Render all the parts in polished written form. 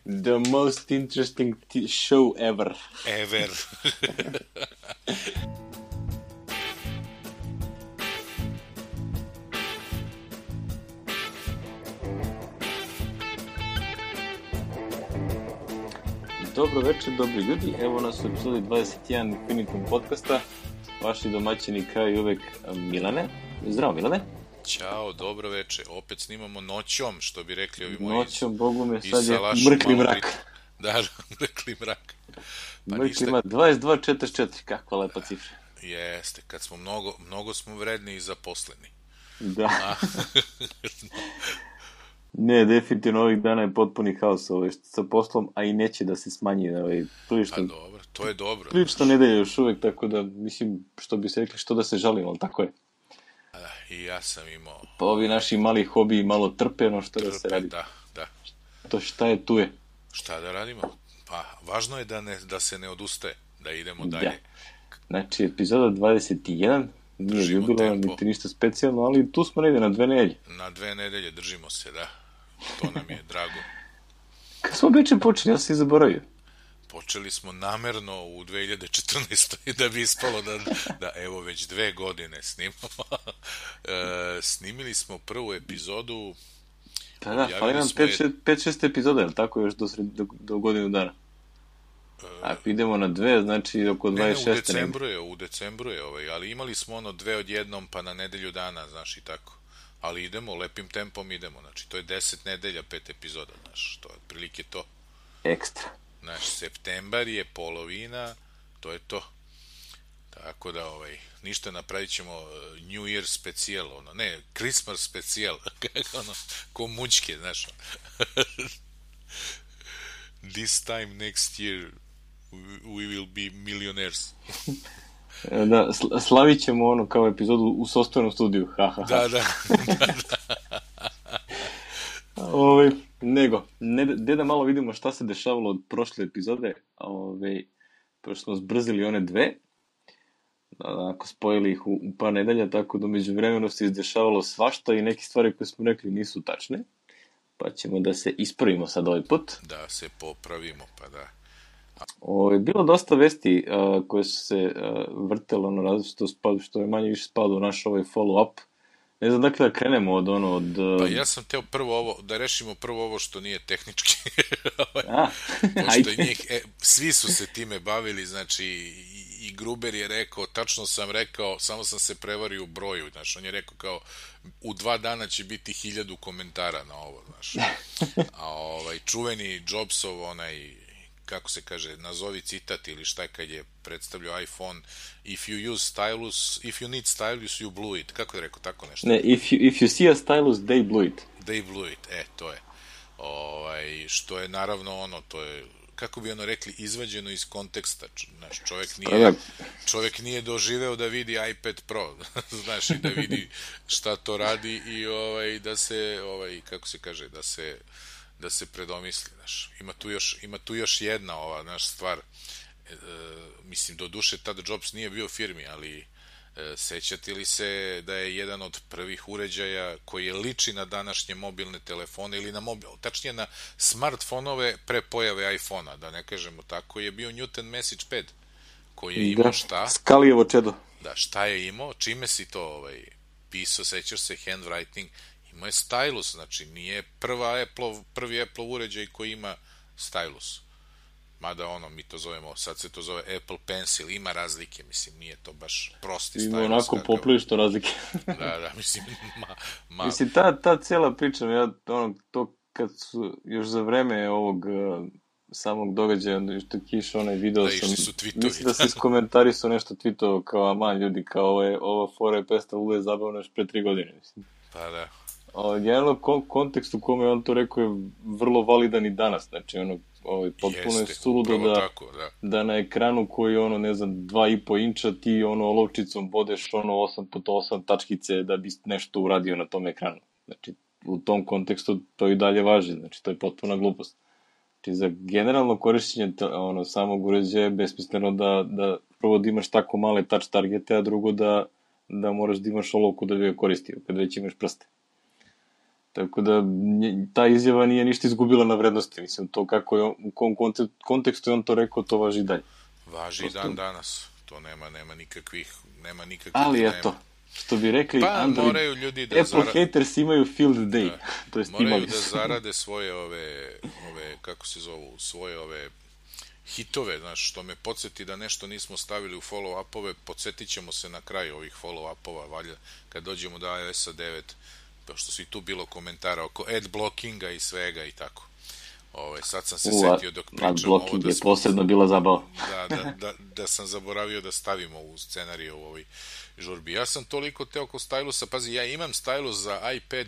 The most interesting show ever. Ever. Dobro večer, dobri ljudi. Evo nas u epizodi 21 Infinitum podcasta. Vaši domaćini kao i uvek Milane. Zdravo Milane. Ćao, dobro večer. Opet snimamo noćom, što bi rekli ovi moji. Noćom, Bogu me, sad je mrkli mrak. Da, mrkli mrak. Pa mrkli mrak, 22.44, kakva lepa cifra. Jeste, kad smo mnogo smo vredni i zaposleni. Da. Ne, definitivno ovih dana je potpuni haos sa poslom, a i neće da se smanji. Prilično, pa dobro, to je dobro. Prilično nedelje još uvek, tako da, mislim, što bi se rekli, što da se žalimo, ali tako je. I ja sam imao... Pa ovi naši mali hobiji malo trpeno, što da se radi. Da. To šta je, tu je. Šta da radimo? Pa, važno je da se ne odustaje, da idemo dalje. Znači, epizoda 21, nije jubilarno, niti ništa specijalno, ali tu smo negde na 2 nedelje. Na 2 nedelje držimo se, da. To nam je drago. Kad smo beče počeli, ja sam i zaboravio. Počeli smo namerno u 2014. da bi ispalo da evo već 2 godine snimamo. Snimili smo prvu epizodu. Pa da, fali nam 5-6 epizoda, je li tako, još do godinu dana? Ako idemo na 2, znači oko 26. U decembru je, ali imali smo 2 odjednom, pa na nedelju dana, znaš, i tako. Ali idemo, lepim tempom idemo, znači to je 10 nedelja, 5 epizoda, znaš, to je otprilike to. Ekstra. Znaš, septembar je polovina, to je to. Tako da, ništa, napravit ćemo New Year specijal, Christmas specijal, ko mućke, znaš. This time next year we will be millionaires. Da, slavit ćemo kao epizodu u sopstvenom studiju. Da. Nego, da malo vidimo šta se dešavalo od prošle epizode, pošto smo zbrzili one 2, ako spojili ih u par nedelja, tako da među vremenu se izdešavalo svašta i neke stvari koje smo rekli nisu tačne, pa ćemo da se ispravimo sad ovaj put. Da se popravimo, pa da. Bilo dosta vesti koje su se vrtelo različito, što je manje više spadao u naš follow-up. Ne znam dakle da krenemo od... Pa ja sam teo da rešimo prvo ovo što nije tehnički. Svi su se time bavili, znači i Gruber je rekao, tačno sam rekao, samo sam se prevario u broju, znači on je rekao kao u 2 dana će biti 1000 komentara na ovo, znači. A čuveni Jobsov, kako se kaže, nazovi citat ili šta kad je predstavljao iPhone, if you need stylus, you blew it. Kako je rekao, tako nešto? Ne, if you see a stylus, they blew it. They blew it, to je. Što je naravno to je, kako bi rekli, izvađeno iz konteksta. Znaš, čovjek nije doživeo da vidi iPad Pro, znaš, i da vidi šta to radi i da se, kako se kaže, da se predomisli, znaš. Ima tu još jedna stvar, mislim, do duše tada Jobs nije bio u firmi, ali sećate li se da je jedan od prvih uređaja koji liči na današnje mobilne telefone ili tačnije na smartfonove pre pojave iPhona, da ne kažemo tako, je bio Newton Message Pad, koji je imao šta? Skalijevo čedo. Da, šta je imao, čime si to pisao, sećaš se, handwriting, imao je stylus, znači nije prvi Apple uređaj koji ima stylus. Mada mi to zovemo, sad se to zove Apple Pencil, ima razlike, mislim, nije to baš prosti stylus. Ima onako poprilično razlike. Da, mislim, Mislim, ta cijela priča, to kad su još za vreme ovog samog događaja, što je kišao onaj video, mislim da se iskomentarisao nešto tweetovao kao, aman ljudi, kao ova fora je predstavila je zabavno još pre 3 godine, mislim. Pa da. Generalno, kontekst u kome on to rekao je vrlo validan i danas, znači potpuno je suludo da na ekranu koji je 2,5 inča ti olovčicom bodeš 8x8 tačkice da bi nešto uradio na tom ekranu. Znači, u tom kontekstu to i dalje važi, znači to je potpuna glupost. Znači, za generalno korišćenje samog uređaja je besmisleno da prvo da imaš tako male touch targete, a drugo da moraš da imaš olovku da bi ga koristio, kad već imaš prste. Tako da ta izjava nije ništa izgubila na vrednosti. Mislim, to kako je, u kom kontekstu je on to rekao, to važi i dalje. Važi i dan danas. To nema nikakvih ali dilema. Eto, što bi rekli, pa moraju ljudi da Apple haters imaju field day. Da, moraju da zarade svoje ove, kako se zovu, svoje ove hitove, znaš, što me podsjeti da nešto nismo stavili u follow-upove, podsjetit ćemo se na kraju ovih follow-upova, valjda, kad dođemo do iOS-a 9, što su i tu bilo komentara oko ad blockinga i svega i tako. Sad sam se setio dok pričam ovo da je posebno bila zabava. Da sam zaboravio da stavimo u scenariju u ovoj žurbi. Ja sam toliko teo oko stylusa, pazi, ja imam stylus za iPad,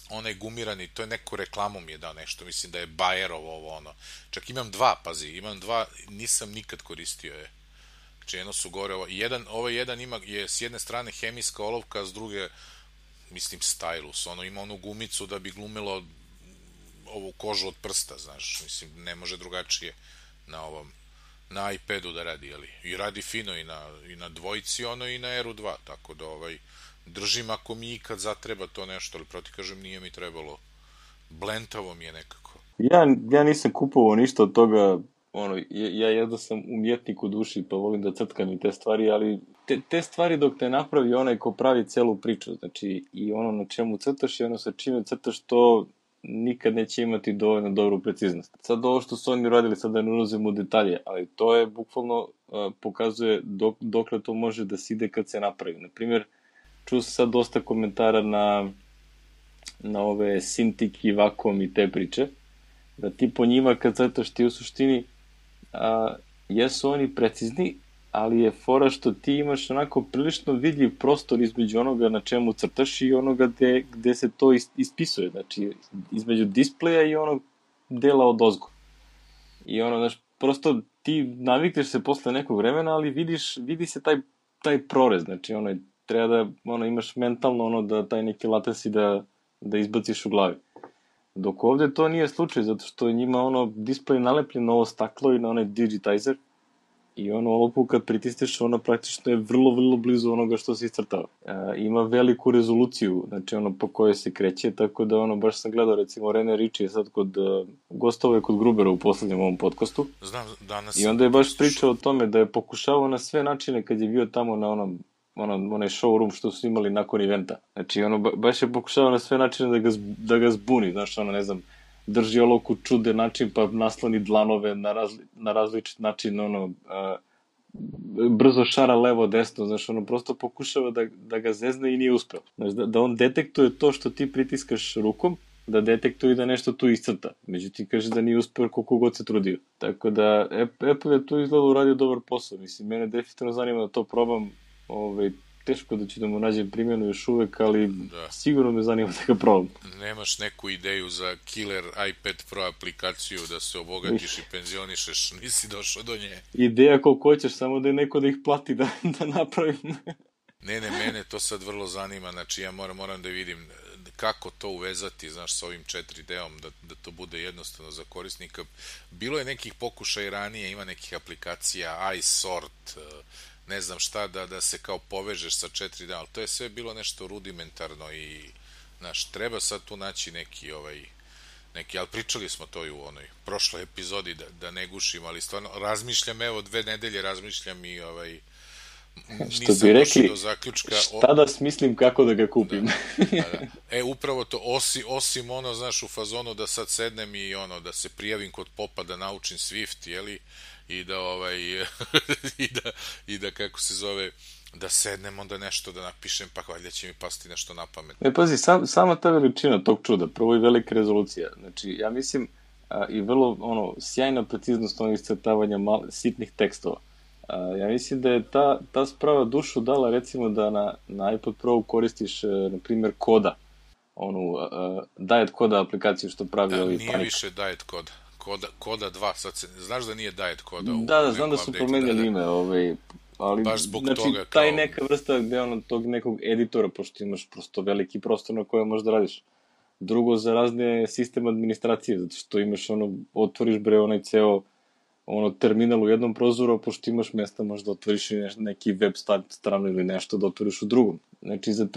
onaj gumirani, to je neko reklamu mi je dao nešto, mislim da je Bayerov ovo ono. Čak imam dva, nisam nikad koristio je. Znači jedno su gore, ovaj jedan je s jedne strane hemijska olovka, a s druge, mislim, stylus, ima onu gumicu da bi glumilo ovu kožu od prsta, znaš, mislim, ne može drugačije na iPadu da radi, jeli? I radi fino i na dvojici, i na Airu 2, tako da držim ako mi ikad zatreba to nešto, ali proti kažem nije mi trebalo. Blentavo mi je nekako. Ja nisam kupovao ništa od toga, ja jedno sam umjetnik u duši, pa volim da crtkam i te stvari, ali te stvari dok te napravi onaj ko pravi celu priču, znači i ono na čemu crtaš i ono sa čime crtaš, to nikad neće imati dovoljno dobru preciznost. Sad ovo što su oni radili, sad da ne ulazimo u detalje, ali to je bukvalno pokazuje dokle to može da se ide kad se napravi. Naprimjer, čuo sam sad dosta komentara na ove Cintiq i Wacom i te priče, da ti po njima kad crtaš ti u suštini jesu oni precizni, ali je fora što ti imaš onako prilično vidljiv prostor između onoga na čemu crtaš i onoga gde se to ispisuje, znači između displeja i onog dela od ozgo. I znaš, prosto ti navikneš se posle nekog vremena, ali vidi se taj prorez, znači treba da imaš mentalno da taj neki latency da izbaciš u glavi. Dok ovde to nije slučaj, zato što je njima display nalepljen na ovo staklo i na onaj digitizer i ovu kad pritisneš, praktično je vrlo, vrlo blizu onoga što se iscrtava. Ima veliku rezoluciju, znači po kojoj se kreće, tako da baš sam gledao, recimo Rene Ritchie je sad gostovao je kod Grubera u poslednjem ovom podcastu. Znam, danas. I onda je baš pričao o tome da je pokušavao na sve načine kad je bio tamo na onaj showroom što su imali nakon eventa. Znači, baš je pokušavao na sve načine da ga zbuni, znaš, ne znam, drži olovku čude način, pa nasloni dlanove na različit način, brzo šara levo, desno, znaš, prosto pokušava da ga zezne i nije uspeo. Znaš, da on detektuje to što ti pritiskaš rukom, da detektuje i da nešto tu iscrta. Međutim, kaže da nije uspeo koliko god se trudio. Tako da, Apple je tu izgleda uradio dobar posao. Mislim, mene definitivno zanima da to probam, teško da ću da mu nađem primjenu još uvek, ali sigurno me zanima da ga probam. Nemaš neku ideju za killer iPad Pro aplikaciju da se obogatiš i penzionišeš, nisi došao do nje. Ideja koliko hoćeš, samo da je neko da ih plati da napravim. Ne, mene to sad vrlo zanima, znači ja moram da vidim kako to uvezati, znaš, s ovim 4D-om, da to bude jednostavno za korisnika. Bilo je nekih pokušaja ranije, ima nekih aplikacija, iSort, ne znam šta, da se kao povežeš sa 4D, ali to je sve bilo nešto rudimentarno i, znaš, treba sad tu naći neki, ali pričali smo to i u onoj prošloj epizodi, da ne gušim, ali stvarno razmišljam, evo 2 nedelje razmišljam i što bi rekli, šta da smislim kako da ga kupim. Da. Upravo to, osim znaš, u fazonu da sad sednem i da se prijavim kod popa da naučim Swift, jeli, i da kako se zove, da sednem onda nešto da napišem, pa valjda će mi pasti nešto na pamet. Pazi, sama ta veličina tog čuda, prvo i velika rezolucija, znači ja mislim i vrlo sjajna preciznost onih iscrtavanja sitnih tekstova. Ja mislim da je ta sprava dušu dala, recimo da na iPod Pro koristiš, na primjer, Koda, Diet Koda aplikaciju što pravi ovi Panika. Nije više Diet Koda. Koda 2, sad znaš da nije Diet Koda? Da, znam da su promenjali ime, ali baš zbog znači, toga taj neka vrsta tog nekog editora, pošto imaš prosto veliki prostor na kojem možda radiš. Drugo, za razne sistem administracije, zato što imaš otvoriš onaj ceo terminal u jednom prozoru, pošto imaš mesta možda otvoriš neki web stranu ili nešto da otvoriš u drugom. Znači, za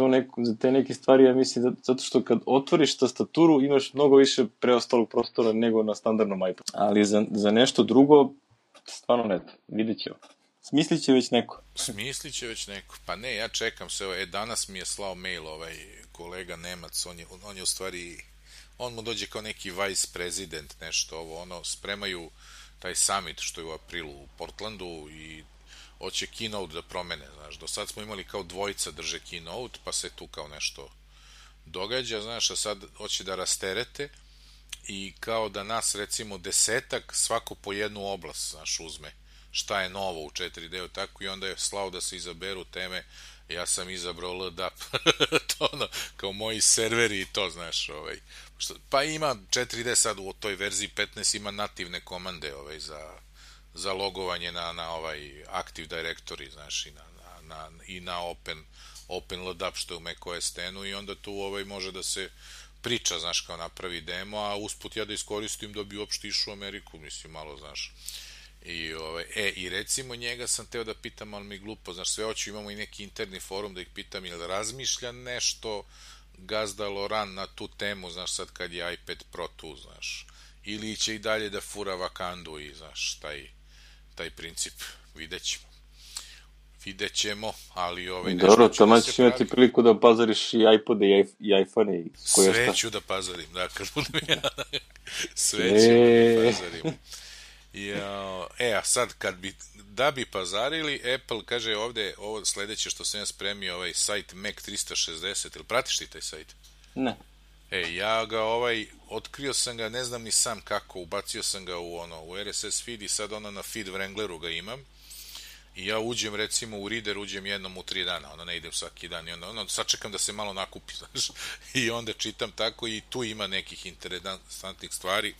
te neke stvari, ja mislim, zato što kad otvoriš tastaturu, imaš mnogo više preostalog prostora nego na standardnom iPadu. Ali za nešto drugo, stvarno ne znam, vidjet ćemo. Smislit će već neko. Pa ne, ja čekam se, danas mi je slao mail kolega Nemac, on je u stvari, on mu dođe kao neki vice president, nešto spremaju taj summit što je u aprilu u Portlandu i hoće keynote da promene, znaš, do sad smo imali kao dvojica drže keynote, pa se tu kao nešto događa, znaš, a sad hoće da rasterete i kao da nas, recimo, 10 svako po jednu oblast, znaš, uzme šta je novo u 4D, tako, i onda je slao da se izaberu teme, ja sam izabrao LDAP, to kao moji serveri i to, znaš, pa ima 4D sad u toj verziji 15 ima nativne komande, za logovanje na Active Directory, znaš, i na Open LDAP što je u macOS 10 i onda tu može da se priča, znaš, kao napravi demo, a usput ja da iskoristim da bi uopšte išao u Ameriku, mislim, malo, znaš. I recimo njega sam teo da pitam, ali mi glupo, znaš, sve hoću, imamo i neki interni forum da ih pitam, jel razmišlja nešto gazda Loran na tu temu, znaš, sad kad je iPad Pro tu, znaš, ili će i dalje da fura Wakandu i, znaš, taj princip, vidjet ćemo, ali dobro, tamo ćeš imati priliku da pazariš i iPode i iPhone i sve ću da pazarim, da, kad budem ja sve ću da pazarim. A sad da bi pazarili, Apple kaže ovde, ovo sledeće što sam ja spremio, sajt Mac 360, ili pratiš ti taj sajt? Ne. Ja ga otkrio sam ga, ne znam ni sam kako, ubacio sam ga u RSS feed i sad na feed Wrangleru ga imam i ja uđem recimo u Reader, uđem jednom u 3 dana, ne idem svaki dan i onda sačekam da se malo nakupi, znaš, i onda čitam tako i tu ima nekih interesantnih stvari.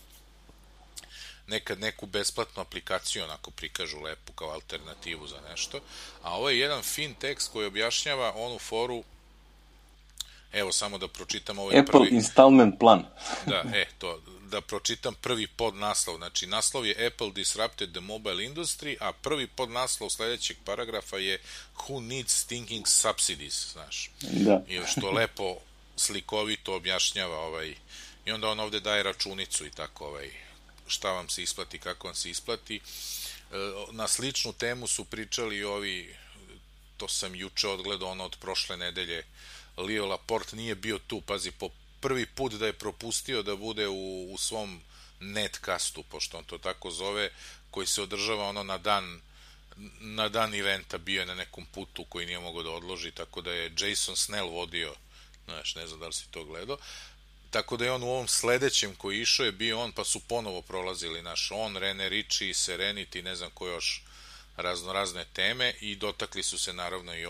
Nekad neku besplatnu aplikaciju onako prikažu lepu kao alternativu za nešto, a ovo je jedan fin tekst koji objašnjava onu foru, evo samo da pročitam Apple installment plan. Da pročitam prvi podnaslov, znači naslov je Apple disrupted the mobile industry, a prvi podnaslov sledećeg paragrafa je Who needs stinking subsidies, znaš. Da. I što lepo slikovito objašnjava i onda on ovde daje računicu i tako šta vam se isplati, kako vam se isplati. Na sličnu temu su pričali to sam juče odgledao od prošle nedelje, Leo Laporte nije bio tu, pazi, po prvi put da je propustio da bude u svom netcastu, pošto on to tako zove, koji se održava na dan eventa, bio je na nekom putu koji nije mogao da odloži, tako da je Jason Snell vodio, znaš, ne znam da li si to gledao, tako da je on u ovom sledećem koji išao je bio on, pa su ponovo prolazili Rene Ritchie, Serenity, ne znam ko još, razne teme i dotakli su se naravno i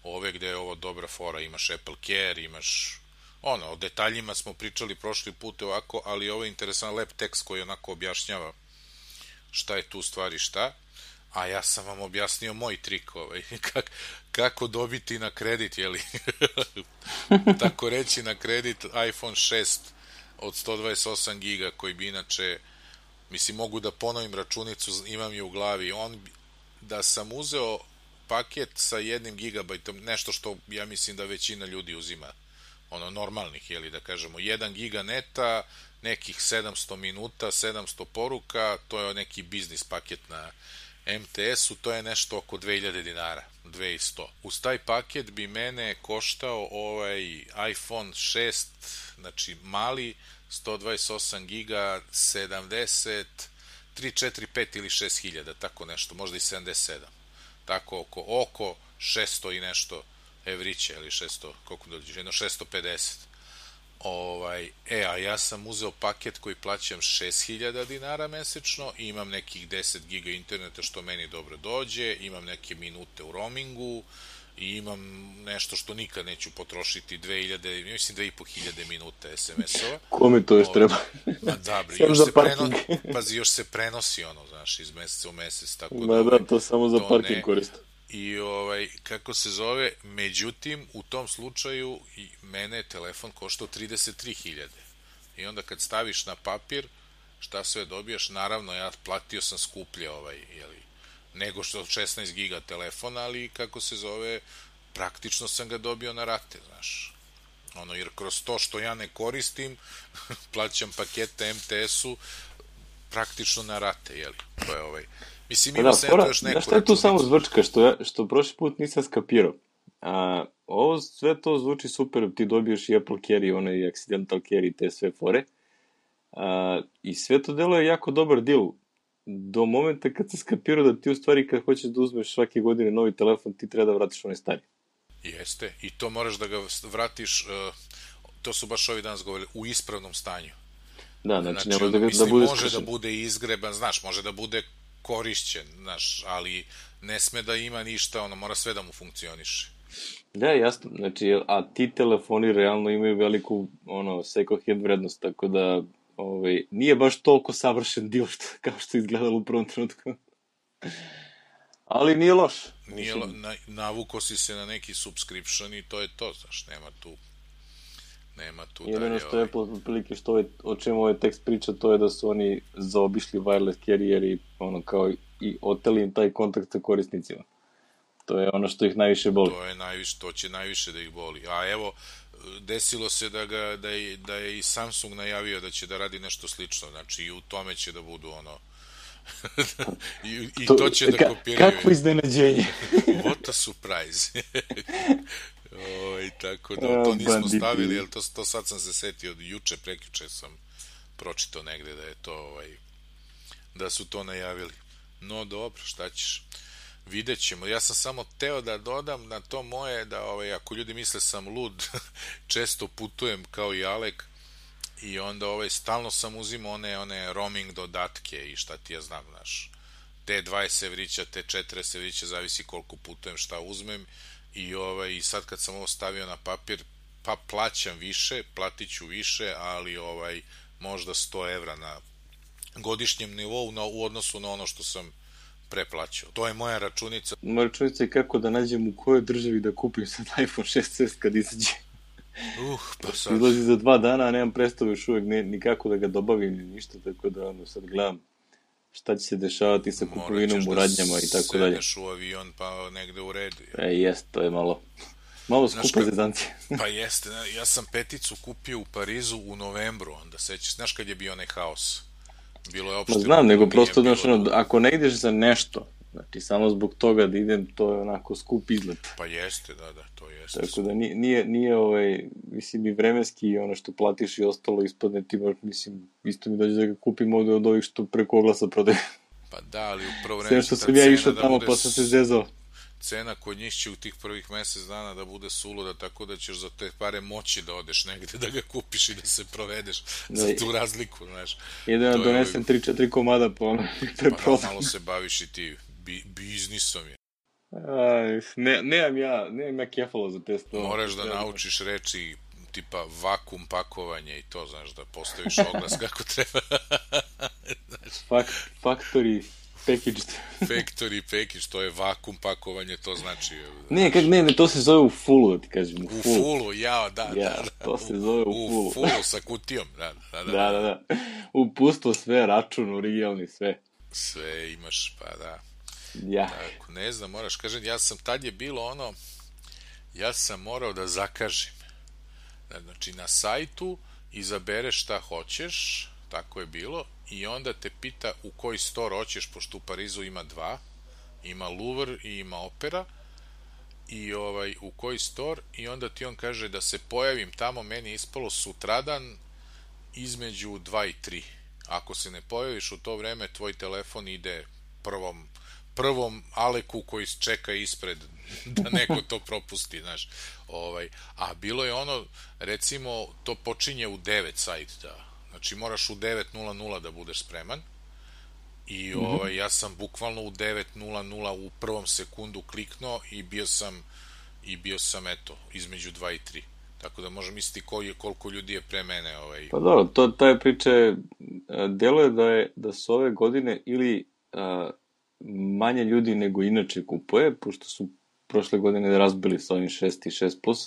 ove gde je ovo dobra fora, imaš Apple Care, imaš o detaljima smo pričali prošli put ovako, ali ovo je interesan lep tekst koji onako objašnjava šta je tu stvari šta, a ja sam vam objasnio moj trik kako dobiti na kredit, jeli tako reći na kredit iPhone 6 od 128 giga koji bi inače, mislim, mogu da ponovim računicu, imam je u glavi, da sam uzeo paket sa 1 gigabajtom, nešto što ja mislim da većina ljudi uzima, normalnih, jeli da kažemo, 1 giga neta, nekih 700 minuta, 700 poruka, to je neki biznis paket na MTS-u, to je nešto oko 2000 dinara, 2100. Uz taj paket bi mene koštao iPhone 6, znači mali, 128 giga, 70, 3, 4, 5 ili 6 hiljada, tako nešto, možda i 77. Tako oko 600 i nešto evrića, ili 600, koliko dođeš, 650. A ja sam uzeo paket koji plaćam 6000 dinara mesečno i imam nekih 10 giga interneta što meni dobro dođe, imam neke minute u roamingu i imam nešto što nikad neću potrošiti, 2500 minuta SMS-ova. Kome to još treba? Još se prenosi znaš, iz meseca u mesec, tako da to samo za parking koristim. I kako se zove, međutim u tom slučaju mene telefon koštao 33.000 i onda kad staviš na papir šta sve dobijaš, naravno ja platio sam skuplje nego što 16 giga telefona, ali kako se zove, praktično sam ga dobio na rate, znaš. Jer kroz to što ja ne koristim, plaćam pakete MTS-u praktično na rate, jeli? To je Mislim, ima se to još neku računicu. Šta je tu samo zvrčka, što prošli put nisam skapirao? Ovo sve to zvuči super, ti dobiješ i Apple Carry, onaj Accidental Carry, te sve fore. I sve to delo je jako dobar deal. Do momenta kad se skapirao da ti u stvari kad hoćeš da uzmeš svake godine novi telefon, ti treba da vratiš onaj stari. Jeste, i to moraš da ga vratiš, to su baš ovi danas govorili, u ispravnom stanju. Da, znači ne može da bude može da bude izgreban, znaš, može da bude korišćen, znaš, ali ne sme da ima ništa, mora sve da mu funkcioniše. Da, jasno, znači, a ti telefoni realno imaju veliku, second hand vrednost, tako da, nije baš toliko savršen deal kao što je izgledalo u prvom trenutku. Ali nije loš. Navuko si se na neki subscription i to je to, znaš, nema tu dalje. Jedino što je prilike o čemu ovaj tekst priča, to je da su oni zaobišli wireless carrier i kao i oteli im taj kontakt sa korisnicima. To je ono što ih najviše boli. To će najviše da ih boli. A evo, desilo se da je i Samsung najavio da će da radi nešto slično, znači i u tome će da budu i to će da kopiraju. Kakvo iznenađenje. What a surprise. Tako da to nismo stavili, jer to sad sam se setio, prekjuče sam pročitao negde da je to da su to najavili. No dobro, šta ćeš, vidjet ćemo. Ja sam samo teo da dodam na to moje da ako ljudi misle sam lud, često putujem kao i Alek i onda stalno sam uzimao one roaming dodatke i šta ti ja znam, znaš, te 20 evrića, te 40 evrića, zavisi koliko putujem, šta uzmem i sad kad sam ovo stavio na papir, pa plaćam više, platit ću više, ali možda 100 evra na godišnjem nivou u odnosu na ono što sam preplaćao. To je moja računica. Moja računica je kako da nađem u kojoj državi da kupim sad iPhone 6s kad izađe. Pa sad. Izlazi za 2 dana, a nemam predstavu još uvek nikako da ga dobavim ni ništa, tako da sad gledam šta će se dešavati sa kupovinom u radnjama i tako dalje. Morat ćeš da sedneš u avion pa negde u redu. Jest, to je malo skupa zezancija. Pa jeste, ja sam peticu kupio u Parizu u novembru, onda sećaš, znaš kad je bio onaj haos? Bilo je opšte... Znam, nego prosto, ako ne ideš za nešto, znači samo zbog toga da idem, to je onako skup izlet. Pa jeste, da, to jeste. Tako da nije mislim i vremenski i ono što platiš i ostalo ispadne ti, mislim, isto mi dođe da ga kupim ovde od ovih što preko oglasa prodaju. Pa da, ali u prvo vreme što sam ja išao tamo pa sam se zezao. Cena kod njih će u tih prvih mesec dana da bude suluda, tako da ćeš za te pare moći da odeš negde, da ga kupiš i da se provedeš za tu razliku, znaš. Jedan donesem 3-4 komada pa ono. Pa malo se baviš i ti biznisom je. Nemam ja kefalo za te stvari. Moraš da naučiš reči tipa vakum pakovanje i to, znaš, da postaviš oglas kako treba. Factory package, to je vakum pakovanje, to znači... Ne, to se zove u fullu, da ti kažem. U fullu, da. To se zove u fullu. U fullu sa kutijom, da. Da. Upustvo sve, račun, originalni, sve. Sve imaš, pa da. Ja. Tako, ne znam, moraš kažem, tad je bilo ja sam morao da zakažem. Znači, na sajtu izabereš šta hoćeš, tako je bilo, i onda te pita u koji store hoćeš, pošto u Parizu ima 2, ima Louvre i ima Opera, i u koji store, i onda ti on kaže da se pojavim tamo, meni je ispalo sutradan između 2 i 3. Ako se ne pojaviš u to vreme, tvoj telefon ide prvom Aleku koji čeka ispred da neko to propusti, znaš. A bilo je recimo, to počinje u 9 sajt, znači moraš u 9:00 da budeš spreman i ja sam bukvalno u 9:00 u prvom sekundu kliknuo i bio sam eto, između 2 i 3. Tako da možem misliti koliko ljudi je pre mene. Pa dobro, ta je priča, deluje da su ove godine ili manje ljudi nego inače kupuje, pošto su prošle godine razbili sa ovim 6 i 6+,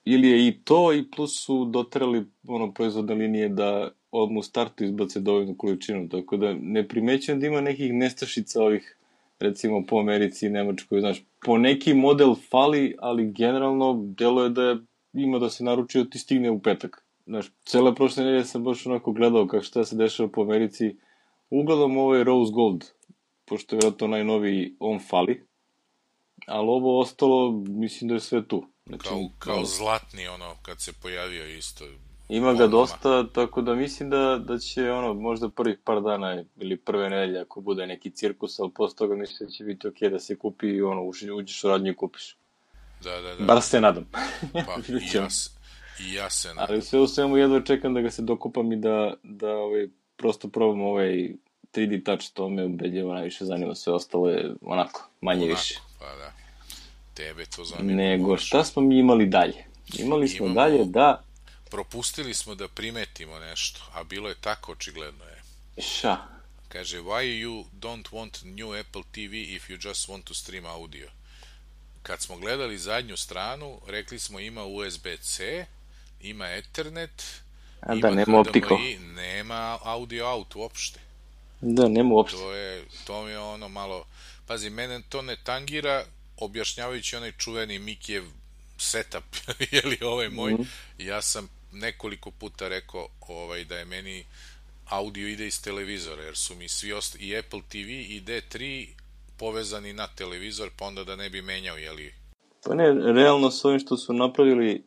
ili je i to, i plus su doterali proizvodne linije da odmah u startu izbace dovoljnu količinu, tako da ne primećujem da ima nekih nestašica ovih, recimo po Americi i Nemačkoj, znaš, po neki model fali, ali generalno deluje da ima da se naruči ti stigne u petak. Znaš, cele prošle nedelje sam baš onako gledao kako šta se dešava po Americi. Ugledam ovaj Rose Gold, pošto je vjerojatno najnoviji, on fali. Ali ovo ostalo, mislim da je sve tu. Znači, kao zlatni, kad se pojavio isto. Ima ga dosta, tako da mislim da će, možda prvih par dana ili prve nedelje, ako bude neki cirkus, ali posle toga mislim da će biti okej da se kupi i uđeš u radnju i kupiš. Da. Bar se nadam. Pa, i ja se nadam. Ali sve u svemu jedva čekam da ga se dokupam i da prosto probam 3D touch, to me ubedljivo najviše zanima, sve ostalo je manje više. Pa da, tebe to zanima. Nego, šta smo mi imali dalje? Imali smo dalje da... Propustili smo da primetimo nešto, a bilo je tako očigledno je. Šta? Kaže, why you don't want new Apple TV if you just want to stream audio? Kad smo gledali zadnju stranu, rekli smo ima USB-C, ima Ethernet, ima nema optiko. Nema audio out uopšte. Da, nema uopšte. To mi je malo... Pazi, mene to ne tangira, objašnjavajući onaj čuveni Mikijev setup, jeli ovaj moj, ja sam nekoliko puta rekao da je meni audio ide iz televizora, jer su mi svi i Apple TV i D3 povezani na televizor, pa onda da ne bi menjao, jeli? Pa ne, realno s ovim što su napravili,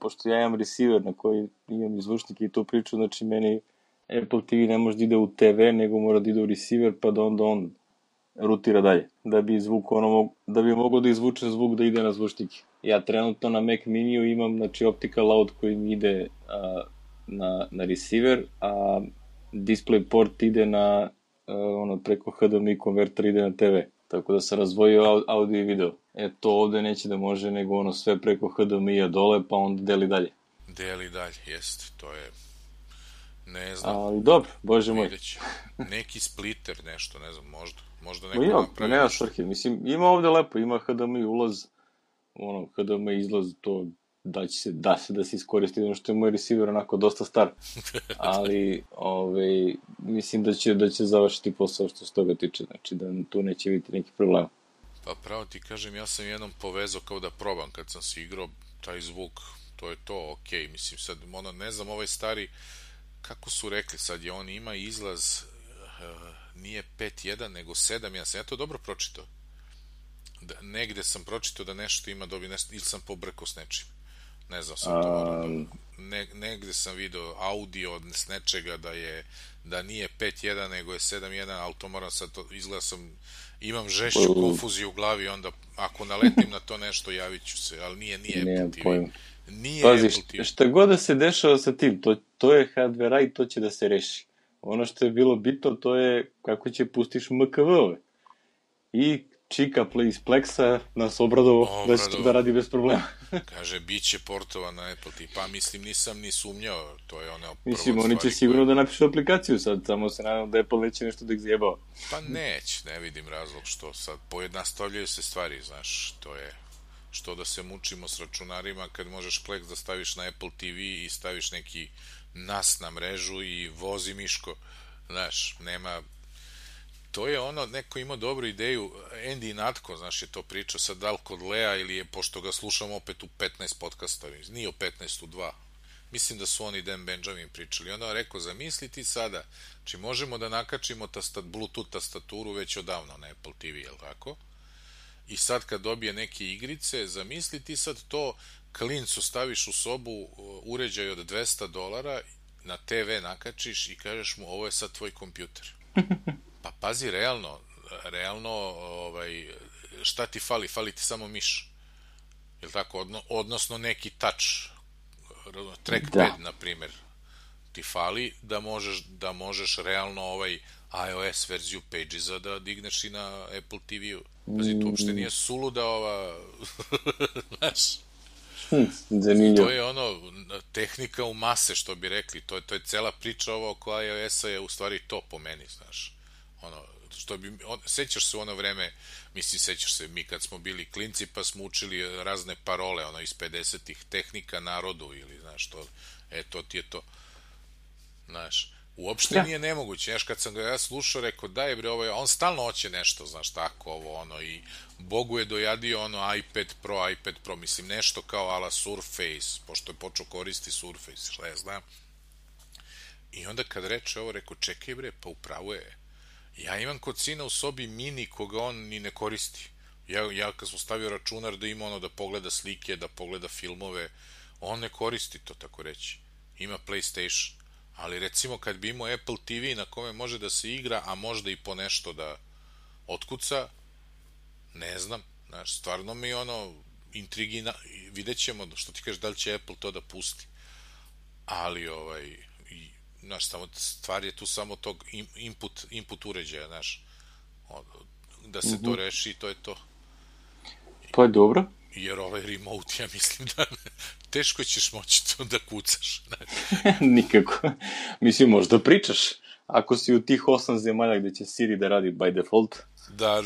pošto ja imam receiver na koji imam izvučnike i tu priču, znači meni Apple TV ne može da ide u TV, nego mora da ide u receiver, pa da onda on rutira dalje, da bi mogao da izvuče zvuk da ide na zvučnike. Ja trenutno na Mac Miniju imam, znači, optical out koji mi ide na receiver, a display port ide na, preko HDMI konverter ide na TV. Tako da sam razvojio audio i video. To ovde neće da može, nego sve preko HDMI-a dole, pa onda deli dalje. Deli dalje, jest, to je... Ne znam. Ali dobro, bože moj. Neki splitter, nešto, ne znam, možda neko napravi. Nema svrhe, mislim, ima ovde lepo, ima HDMI ulaz, HDMI izlaz, to da se iskoristi, što je moj receiver onako dosta star, ali mislim da će završiti posao što se toga tiče, znači da tu neće biti neki problem. Pa pravo ti kažem, ja sam jednom povezao kao da probam kad sam se igrao, taj zvuk, to je to, okej, mislim sad, ne znam, ovaj stari, kako su rekli, sad je on ima izlaz, nije 5.1 nego 7.1, ja to dobro pročitao. Negde sam pročitao da nešto ima ili sam pobrkao s nečim. Ne znam sam to negde sam video audio s nečega da nije 5.1 nego je 7.1, ali to moram sad izgleda imam žešću konfuziju u glavi, onda ako naletim na to nešto javit ću se, ali nije Apple TV. Pazi, šta god da se dešava sa tim, to je hardware i to će da se reši. Ono što je bilo bitno, to je kako će pustiš MKV-ove. I Čika iz Plexa nas obradovo da će to da radi bez problema. Kaže, bit će portovan na Apple TV. Pa mislim, nisam ni sumnjao. To je ono... Mislim, oni će sigurno da napišu aplikaciju sad, samo se nadam da Apple neće nešto da ih zjebao. Pa neće, ne vidim razlog što sad pojednostavljaju se stvari, znaš, to je... Što da se mučimo s računarima kad možeš Plex da staviš na Apple TV i staviš neki NAS na mrežu i vozi miško, znaš, nema... To je neko imao dobru ideju, Andy Natko, znaš, je to pričao sad da li kod Lea ili je, pošto ga slušam opet u 15 podcasta, nije u 15, u 2. Mislim da su oni Dan Benjamin pričali. Onda on rekao, zamisli ti sada, znači možemo da nakačimo Bluetooth tastaturu već odavno na Apple TV, jel tako? I sad kad dobije neke igrice, zamisli ti sad to, klincu staviš u sobu uređaj od $200, na TV nakačiš i kažeš mu ovo je sad tvoj kompjuter. Pa pazi, realno, šta ti fali? Fali ti samo miš. Jel tako? Odnosno neki touch, trackpad, na primjer, ti fali da možeš realno iOS verziju Pages-a da digneš i na Apple TV-u. Pazi, to uopšte nije suluda znaš, to je tehnika u mase, što bi rekli, to je cela priča oko iOS-a je u stvari to po meni, znaš. Sećaš se u ono vreme, mislim, sećaš se, mi kad smo bili klinci pa smo učili razne parole, iz 50-ih, tehnika narodu ili, znaš, to ti je to, znaš, Uopšte nije nemoguće. Znaš, kad sam ga ja slušao, rekao, daj bre, on stalno hoće nešto, znaš, tako, ovo, ono, i Bogu je dojadio, ono, iPad Pro, mislim, nešto kao ala Surface, pošto je počeo koristi Surface, šta ja znam. I onda kad reče ovo, rekao, čekaj bre, pa upravo je. Ja imam kod sina u sobi mini koga on ni ne koristi. Ja kad sam stavio računar da ima ono da pogleda slike, da pogleda filmove, on ne koristi to, tako reći. Ima PlayStation. Ali recimo kad bi imao Apple TV na kome može da se igra, a možda i po nešto da otkuca, ne znam, znaš, stvarno mi ono intrigi, vidjet ćemo, što ti kažeš, da li će Apple to da pusti. Ali, znaš, stvar je tu samo tog input uređaja, znaš, da se to reši, to je to. Pa je dobro. Jer remote, ja mislim da teško ćeš moći to da kucaš. Nikako. Mislim, možda pričaš. Ako si u tih 8 zemalja gde će Siri da radi by default. Da.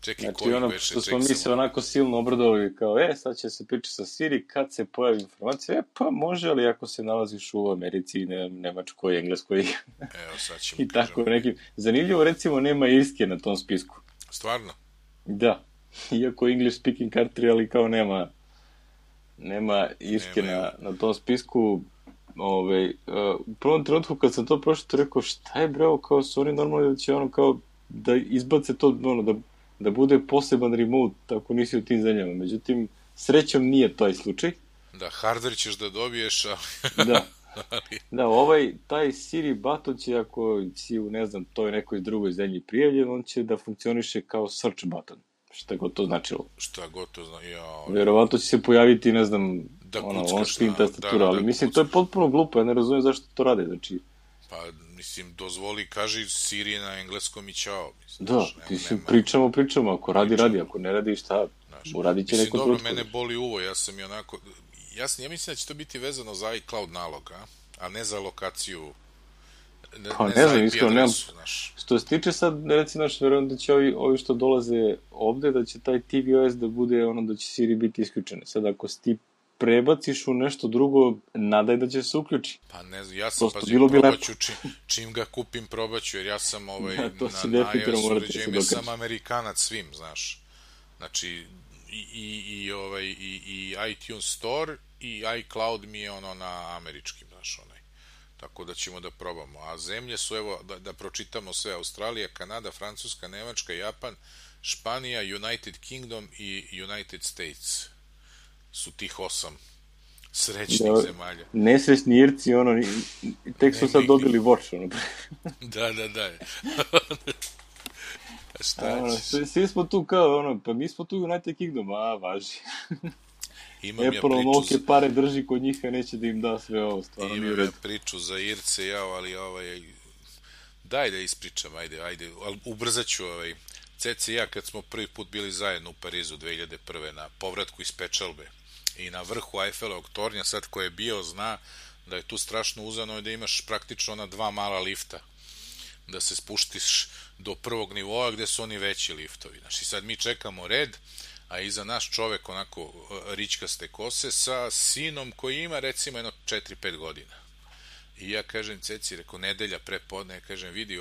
Čekaj, znači, koji veše, što smo mi se onako silno obradovali kao, sad će se pričati sa Siri kad se pojavi informacija, pa može, ali ako se nalaziš u Americi, Nemačkoj, Engleskoj. Evo, sad ćemo i tako nekim. Zanimljivo, recimo, nema Irske na tom spisku. Stvarno? Da. Iako English speaking country, ali kao nema Irske na tom spisku. U prvom trenutku kad sam to prošao, rekao, šta je breo, kao su oni normalni da će ono kao da izbace to, ono, da bude poseban remote, tako nisi u tim zemljama. Međutim, srećom nije taj slučaj. Da, hardware ćeš da dobiješ, ali... Da, taj Siri button će, ako si u, ne znam, toj nekoj drugoj zemlji prijavljen, on će da funkcioniše kao search button. Šta god to značilo. Šta god to znači, Verovatno će se pojaviti, ne znam, on-screen tastatura, ali mislim, to je potpuno glupo, ja ne razumijem zašto to rade, znači... Pa, mislim, dozvoli, kaži Siri na engleskom i čao. Da, mislim, pričamo, ako radi, ako ne radi, šta, uradit će neko trutko. Mislim, dobro, mene boli uvo, ja sam i onako... Ja mislim da će to biti vezano za iCloud nalog, a ne za lokaciju... Pa ne znam, iskreno, što se tiče sad, recimo, verujem da će ovi što dolaze ovde, da će taj tvOS da bude ono da će Siri biti isključene. Sad, ako si ti prebaciš u nešto drugo, nadaj da će se uključi. Pa ne znam, ja sam, probaću, čim ga kupim, probaću, jer ja sam na iOS uređajima sam Amerikanac svim, znaš. Znači, i iTunes Store i iCloud mi je ono na američkim, znaš, tako da ćemo da probamo. A zemlje su, evo, da pročitamo sve: Australija, Kanada, Francuska, Nemačka, Japan, Španija, United Kingdom i United States su tih 8 srećnih zemalja. Nesrećni Irci, tek su sad dobili Watch, Da. Šta ćeš? Svi smo tu kao, pa mi smo tu United Kingdom, važi. Apple onoke pare drži kod njih, a neće da im da sve ovo, stvarno nije u redu. Imam priču za Irce, ali daj da ispričam, ajde, ali ubrzat ću, Ceci i ja kad smo prvi put bili zajedno u Parizu 2001. na povratku iz Pečalbe i na vrhu Eiffelovog tornja, sad ko je bio zna da je tu strašno uzano i da imaš praktično ona 2 mala lifta, da se spuštiš do prvog nivoa gde su oni veći liftovi. Znači sad mi čekamo red, a iza nas čovek onako ričkaste kose sa sinom koji ima recimo 4-5 godina. I ja kažem Ceci, rekao, nedelja prepodne, kažem, vidi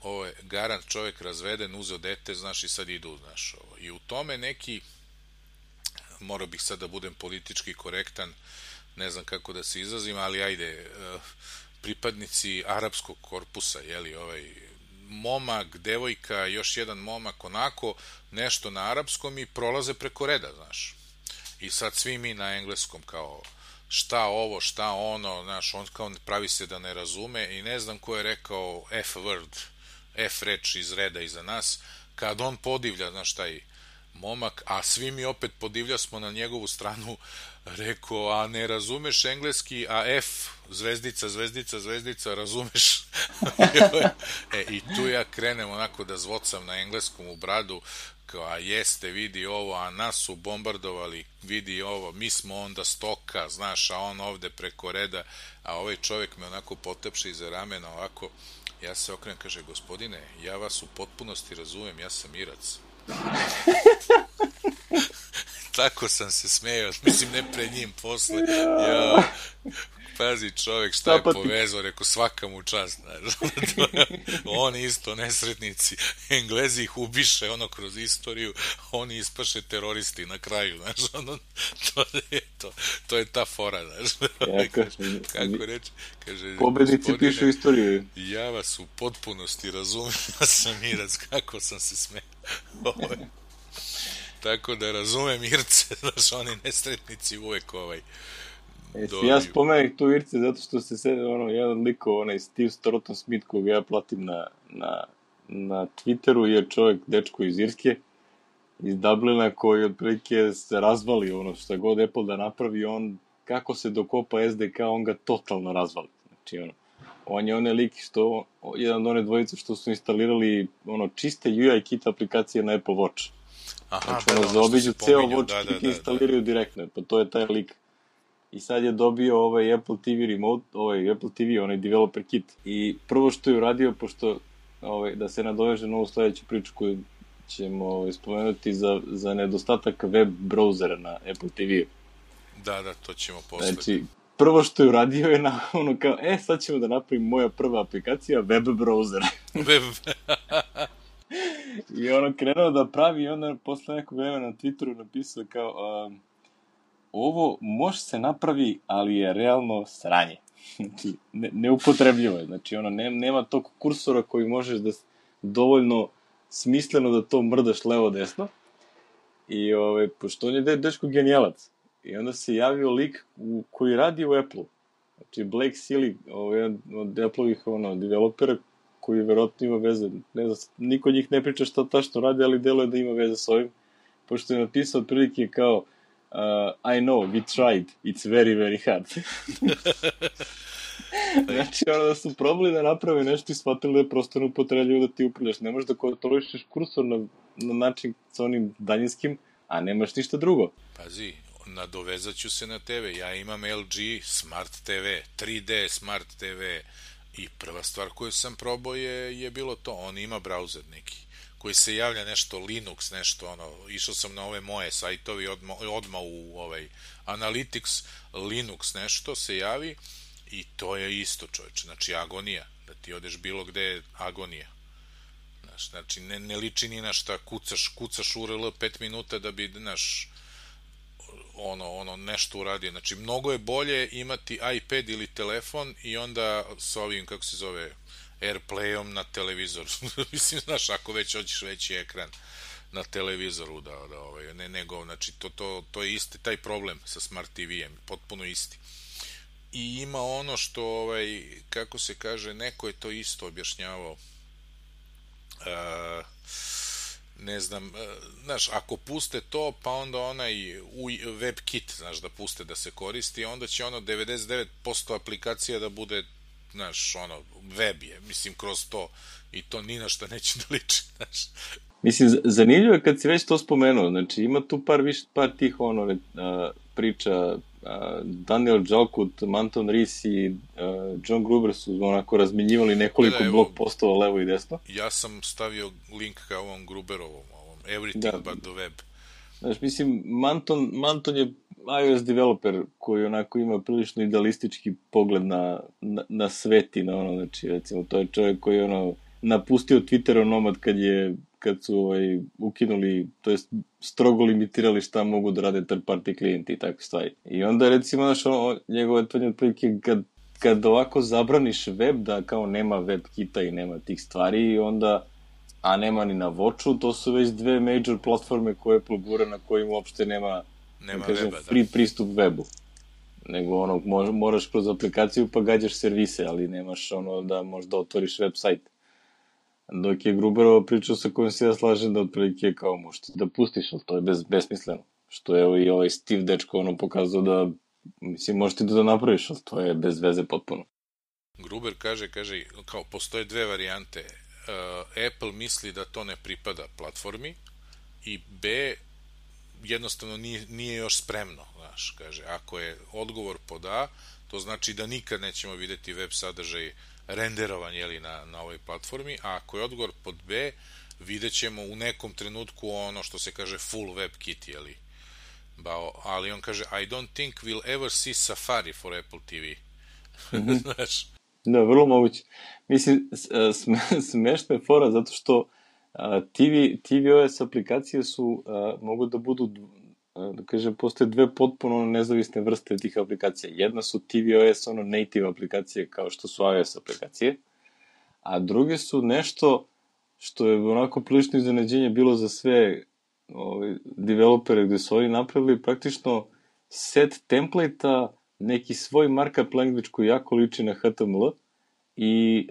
ovo je garant čovek razveden, uzeo dete, znaš, i sad idu, znaš, ovo. I u tome neki, morao bih sad da budem politički korektan, ne znam kako da se izrazim, ali ajde, pripadnici arapskog korpusa, momak, devojka, još jedan momak, onako, nešto na arapskom i prolaze preko reda, znaš. I sad svi mi na engleskom kao, šta ovo, šta ono, znaš, on kao pravi se da ne razume i ne znam ko je rekao F-word, F-reč iz reda iza nas, kad on podivlja, znaš, taj momak, a svi mi opet podivlja smo na njegovu stranu, rekao, a ne razumeš engleski, a F, zvezdica, razumeš? I tu ja krenem onako da zvocam na engleskom u bradu, kao, a jeste, vidi ovo, a nas su bombardovali, vidi ovo, mi smo onda stoka, znaš, a on ovde preko reda, a ovaj čovjek me onako potepše iza ramena, ovako, ja se okrenem, kaže, gospodine, ja vas u potpunosti razumem, ja sam Irac. Tako sam se smejao, mislim, ne pred njim, posle. Pazi čovjek šta je povezao, rekao svaka mu čast, znaš. Oni isto nesretnici, Englezi ih ubiše ono kroz istoriju, oni ispaše teroristi na kraju, znaš, ono, to je ta fora, znaš. Kako reći? Kaže, pobednici pišu istoriju. Ja vas u potpunosti razumem, Samirac, kako sam se smeo. Tako da razumem Irce, znaš, oni nesretnici uvek ja spomenem tu Irce zato što se sve, jedan liko, Steve Stroughton Smith, koga ja platim na Twitteru, je čovjek, dečko iz Irske, iz Dublina, koji otprilike se razvali šta god Apple da napravi, on kako se dokopa SDK, on ga totalno razvali. Znači, on je onaj lik što, jedan od one dvojice što su instalirali čiste UI kit aplikacije na Apple Watch. Znači, zaobiđu ceo Watch kit i instaliraju direktno, pa to je taj lik. I sad je dobio Apple TV remote, Apple TV, onaj developer kit. I prvo što je uradio, pošto da se nadoveže na ovu sledeću priču koju ćemo spomenuti za nedostatak web brauzera na Apple TV-u. Da, to ćemo posle. Znači, prvo što je uradio je kao, sad ćemo da napravim moja prva aplikacija, web browser. I krenuo da pravi i onda posle nekog vremena na Twitteru napisao kao, ovo može se napravi, ali je realno sranje. Znači, neupotrebljivo je. Znači, nema tog kursora koji možeš da dovoljno smisleno da to mrdaš levo-desno. I, pošto on je dečko genijalac. I onda se javio lik koji radi u Apple-u. Znači, Blake Sealy, jedan od Apple-ovih developera, koji verovatno ima veze. Ne znam, niko od njih ne priča šta tačno radi, ali deluje da ima veze s ovim. Pošto je napisao otprilike kao I know, we tried, it's very, very hard. Znači, da su probali da naprave nešto i shvatili da je prosto neupotrebljivo da ti upravljaš. Ne možeš da kontrolišeš kursor na način sa onim daljinskim, a nemaš ništa drugo. Pazi, nadovezat ću se na TV. Ja imam LG Smart TV, 3D Smart TV i prva stvar koju sam probao je bilo to. On ima browser neki koji se javlja nešto Linux, nešto išao sam na ove moje sajtovi odmah u Analytics, Linux nešto se javi i to je isto, čovječe, znači agonija, da ti odeš bilo gde je agonija. Znači ne liči ni na šta, kucaš URL 5 minuta da bi, nešto uradio. Znači mnogo je bolje imati iPad ili telefon i onda s ovim, kako se zove, Airplayom na televizoru. Mislim, ako već hoćeš veći ekran na televizoru, nego, znači, to je isti taj problem sa Smart TV-em, potpuno isti. I ima ono što, kako se kaže, neko je to isto objašnjavao, ne znam, ako puste to, pa onda onaj WebKit, da puste da se koristi, onda će 99% aplikacija da bude web je, mislim, kroz to, i to ni na šta neće da liči, Mislim, zanimljivo je kad si već to spomenuo, znači ima tu par tih priča, Daniel Jalkut, Manton Rees i John Gruber su razmenjivali nekoliko blog postova levo i desno. Ja sam stavio link ka ovom Gruberovom, Everything but the web. Znači, mislim, Manton je iOS developer koji ima prilično idealistički pogled na svet i znači, recimo, to je čovjek koji je napustio Twitter onomad kad su ukinuli, to jest strogo limitirali šta mogu da rade third party klijenti i takve stvari. I onda, recimo, njegove tvrdnje otprilike kad ovako zabraniš web, da kao nema web kita i nema tih stvari, onda, a nema ni na Watchu, to su već dve major platforme koje Apple gura na kojim uopšte nema weba, free pristup webu. Nego moraš kroz aplikaciju pa gađaš servise, ali nemaš da možda otvoriš website. Dok je Gruberova pričao sa kojom se ja slažem da otprilike kao možete da pustiš, ali to je besmisleno. Što je i ovaj Steve dečko pokazao da, mislim, možete da napraviš, ali to je bez veze potpuno. Gruber kaže, kao postoje dve varijante. Apple misli da to ne pripada platformi i B, jednostavno nije još spremno, kaže, ako je odgovor pod A, to znači da nikad nećemo videti web sadržaj renderovan na ovoj platformi, a ako je odgovor pod B, vidjet ćemo u nekom trenutku ono što se kaže full web kit, ali on kaže I don't think we'll ever see Safari for Apple TV. Znaš. Da, vrlo moguće. Mislim, smešna je fora zato što tvOS aplikacije su, mogu da budu, da kažem, postoje dve potpuno nezavisne vrste tih aplikacija. Jedna su tvOS, native aplikacije, kao što su iOS aplikacije, a druge su nešto što je onako prilično iznenađenje bilo za sve developere, gde su oni napravili praktično set template-a, neki svoj markup language koji jako liči na HTML i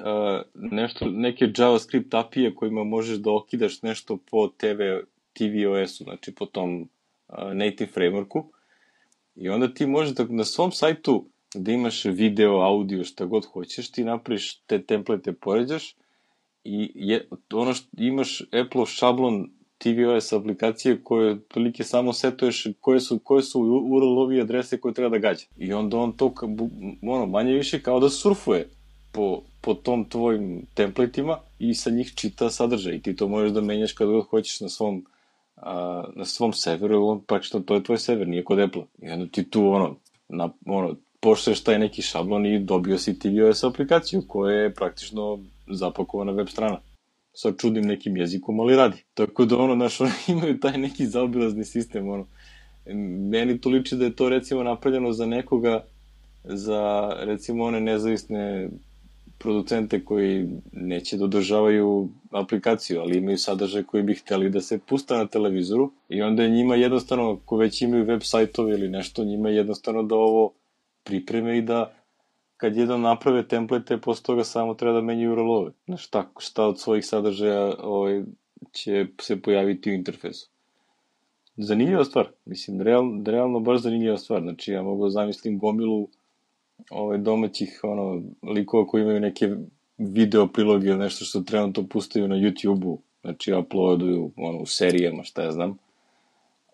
neke JavaScript API-e kojima možeš da okidaš nešto po tvOS-u, znači po tom native frameworku. I onda ti možeš da na svom sajtu gde imaš video, audio, šta god hoćeš, ti napraviš te template, poređaš i imaš Apple šablon tvOS aplikacije koje otprilike samo setuješ koje su URL-ovi adrese koje treba da gađa. I onda on to manje više kao da surfuje po tom tvojim templateima i sa njih čita sadržaj. I ti to možeš da menjaš kada god hoćeš na svom serveru, praktično to je tvoj server, nije kod Apple. I onda ti tu poštoješ taj neki šablon i dobio si tvOS aplikaciju koja je praktično zapakovana web strana. Sa čudnim nekim jezikom, ali radi. Tako da imaju taj neki zaobilazni sistem, Meni to liči da je to recimo napravljeno za nekoga, za recimo one nezavisne producente koji neće da održavaju aplikaciju, ali imaju sadržaj koji bi hteli da se pusta na televizoru i onda je njima jednostavno, ako već imaju web sajtove ili nešto, njima je jednostavno da ovo pripreme i da kad jedan naprave template, posle toga samo treba da menjaju URL-ove. Šta od svojih sadržaja će se pojaviti u interfejsu. Zanimljiva stvar. Mislim, realno baš zanimljiva stvar. Znači, ja mogu da zamislim gomilu domaćih likova koji imaju neke video priloge ili nešto što trenutno pustaju na YouTube-u. Znači, uploaduju u serijama, šta ja znam.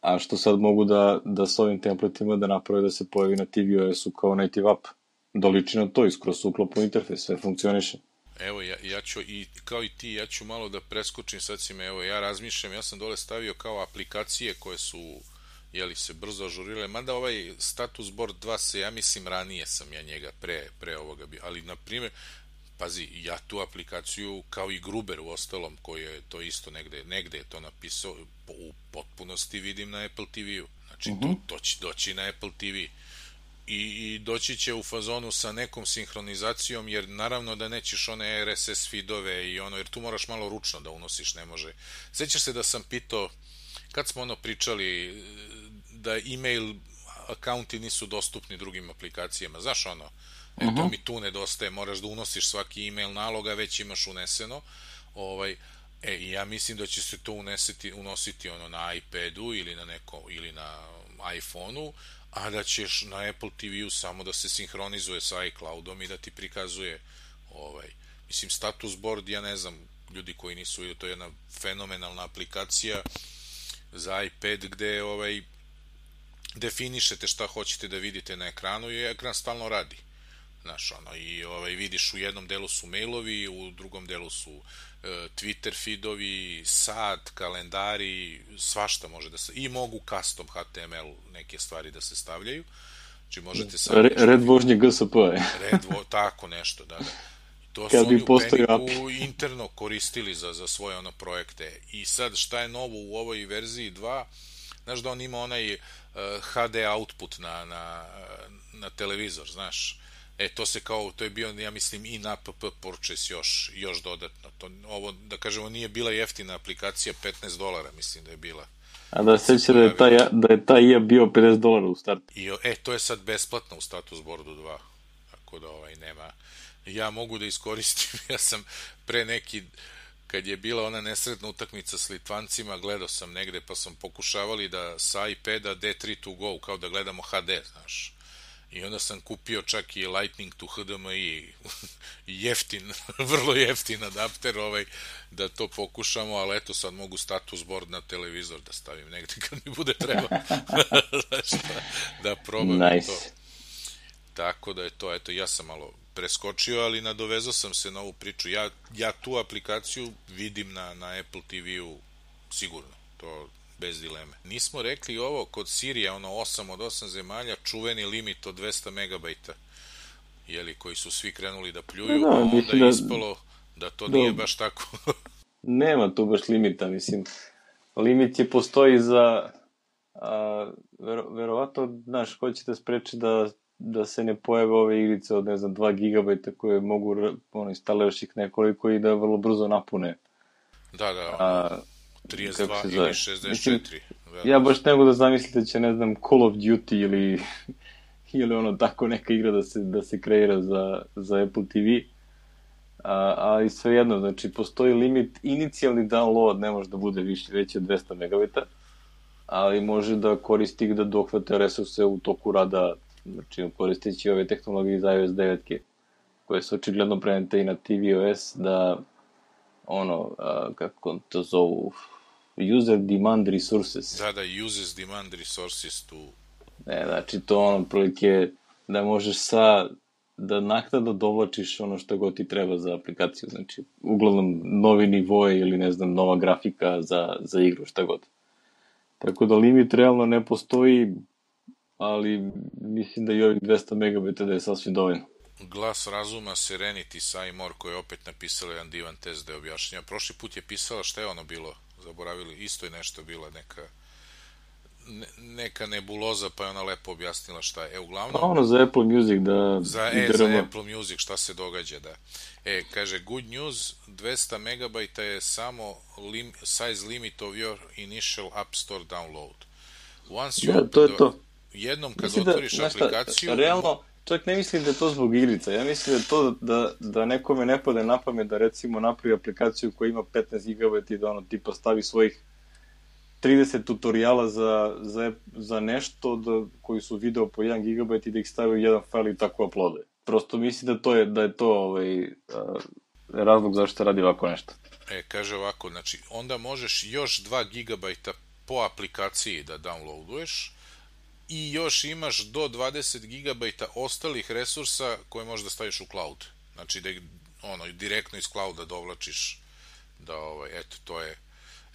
A što sad mogu da s ovim templatima da naprave da se pojavi na tvOS-u kao native app. Da liči na to, skroz uklopno interfejs, sve funkcioniše. Evo, ja ću, kao i ti, ja ću malo da preskočim, sad si me, ja razmišljam, ja sam dole stavio kao aplikacije koje su, se brzo ažurirale, mada ovaj status board 2 se, ja mislim, ranije sam ja njega pre ovoga bio, ali, na primjer, pazi, ja tu aplikaciju, kao i Gruber u ostalom, koji je to isto negde je to napisao, u potpunosti vidim na Apple TV-u, znači, to će doći na Apple TV. I doći će u fazonu sa nekom sinhronizacijom, jer naravno da nećeš one RSS feedove jer tu moraš malo ručno da unosiš, ne može. Sjećaš se da sam pitao, kad smo pričali da email akaunti nisu dostupni drugim aplikacijama, znaš to mi tu nedostaje, moraš da unosiš svaki email nalog, a već imaš uneseno, ja mislim da će se to unositi na iPadu ili na iPhone-u, a da ćeš na Apple TV-u samo da se sinhronizuje sa iCloud-om i da ti prikazuje mislim, status board, ja ne znam, ljudi koji nisu vidjeli, to je jedna fenomenalna aplikacija za iPad gde definišete šta hoćete da vidite na ekranu i ekran stalno radi. Znaš, i vidiš u jednom delu su mailovi, u drugom delu su Twitter feedovi, sat, kalendari, svašta može da se, i mogu custom HTML neke stvari da se stavljaju. Znači možete sad... Red vožnje GSP. Tako nešto, da. To su oni u Paniku interno koristili za svoje projekte. I sad šta je novo u ovoj verziji 2? Znaš da on ima onaj HD output na televizor, znaš. To je bio, ja mislim, i na app purchase još dodatno. Ovo, da kažemo, nije bila jeftina aplikacija, $15, mislim da je bila. A da se sjeća da je taj IA bio $50 u startu. To je sad besplatno u status boardu 2. Tako da nema... Ja mogu da iskoristim, ja sam pre neki... Kad je bila ona nesretna utakmica s Litvancima, gledao sam negde, pa sam pokušavali da sa iPada D3 to go, kao da gledamo HD, znaš. I onda sam kupio čak i Lightning to HDMI, jeftin, vrlo jeftin adapter, da to pokušamo, ali eto sad mogu status board na televizor da stavim negde kad mi bude treba. Da probam to. Tako da je to, eto, ja sam malo preskočio, ali nadovezao sam se na ovu priču. Ja tu aplikaciju vidim na Apple TV-u sigurno, to bez dileme. Nismo rekli ovo kod Sirija, 8 od 8 zemalja, čuveni limit od 200 megabajta. jeli, koji su svi krenuli da pljuju, a onda je ispalo da to nije baš tako. Nema tu baš limita, mislim. Limit je postoji za, verovatno, znaš, hoće da spreči da se ne pojave ove igrice od, ne znam, 2 gigabajta koje mogu, instaliraš ih nekoliko i da vrlo brzo napune. Da, 32 ili 64. Mislim, ja baš ne mogu da zamislim da će, ne znam, Call of Duty ili ono tako neka igra da se kreira za Apple TV. Ali svejedno, znači, postoji limit, inicijalni download ne može da bude veći od 200 megabita, ali može da koristi da dohvate resurse u toku rada, znači, koristeći ove tehnologije za iOS 9, koje su očigledno prenete i na tvOS, da, kako to zovu, user demand resources. Da, uses demand resources tu. Znači, to prilike da možeš da naknadno dovlačiš ono što god ti treba za aplikaciju, znači, uglavnom novi nivoje ili, ne znam, nova grafika za igru, šta god. Tako da limit realno ne postoji, ali mislim da i ovih 200 megabita da je sasvim dovoljno. Glas razuma Serenity Seymour, koja je opet napisala jedan divan test da je objašnjava. Prošli put je pisala šta je ono bilo, zaboravili, isto je nešto bila neka nebuloza, pa je ona lepo objasnila šta je. Uglavnom... za Apple Music da... Za Apple Music šta se događa, da. Kaže, good news, 200 megabajta je samo size limit of your initial App Store download. Once you to je to. Jednom kad otvoriš aplikaciju... Realno, čak ne mislim da je to zbog igrica. Ja mislim da je to da nekome ne pade na pamet da recimo napravi aplikaciju koja ima 15 GB i da tipa stavi svojih 30 tutoriala za nešto koji su video po 1 GB i da ih stavi u jedan file i tako uploade. Prosto mislim da je to razlog zašto radi ovako nešto. Kaže ovako, znači onda možeš još 2 GB po aplikaciji da downloaduješ i još imaš do 20 GB ostalih resursa koje možeš da staviš u cloud. Znači da ih direktno iz clouda dovlačiš. Eto, to je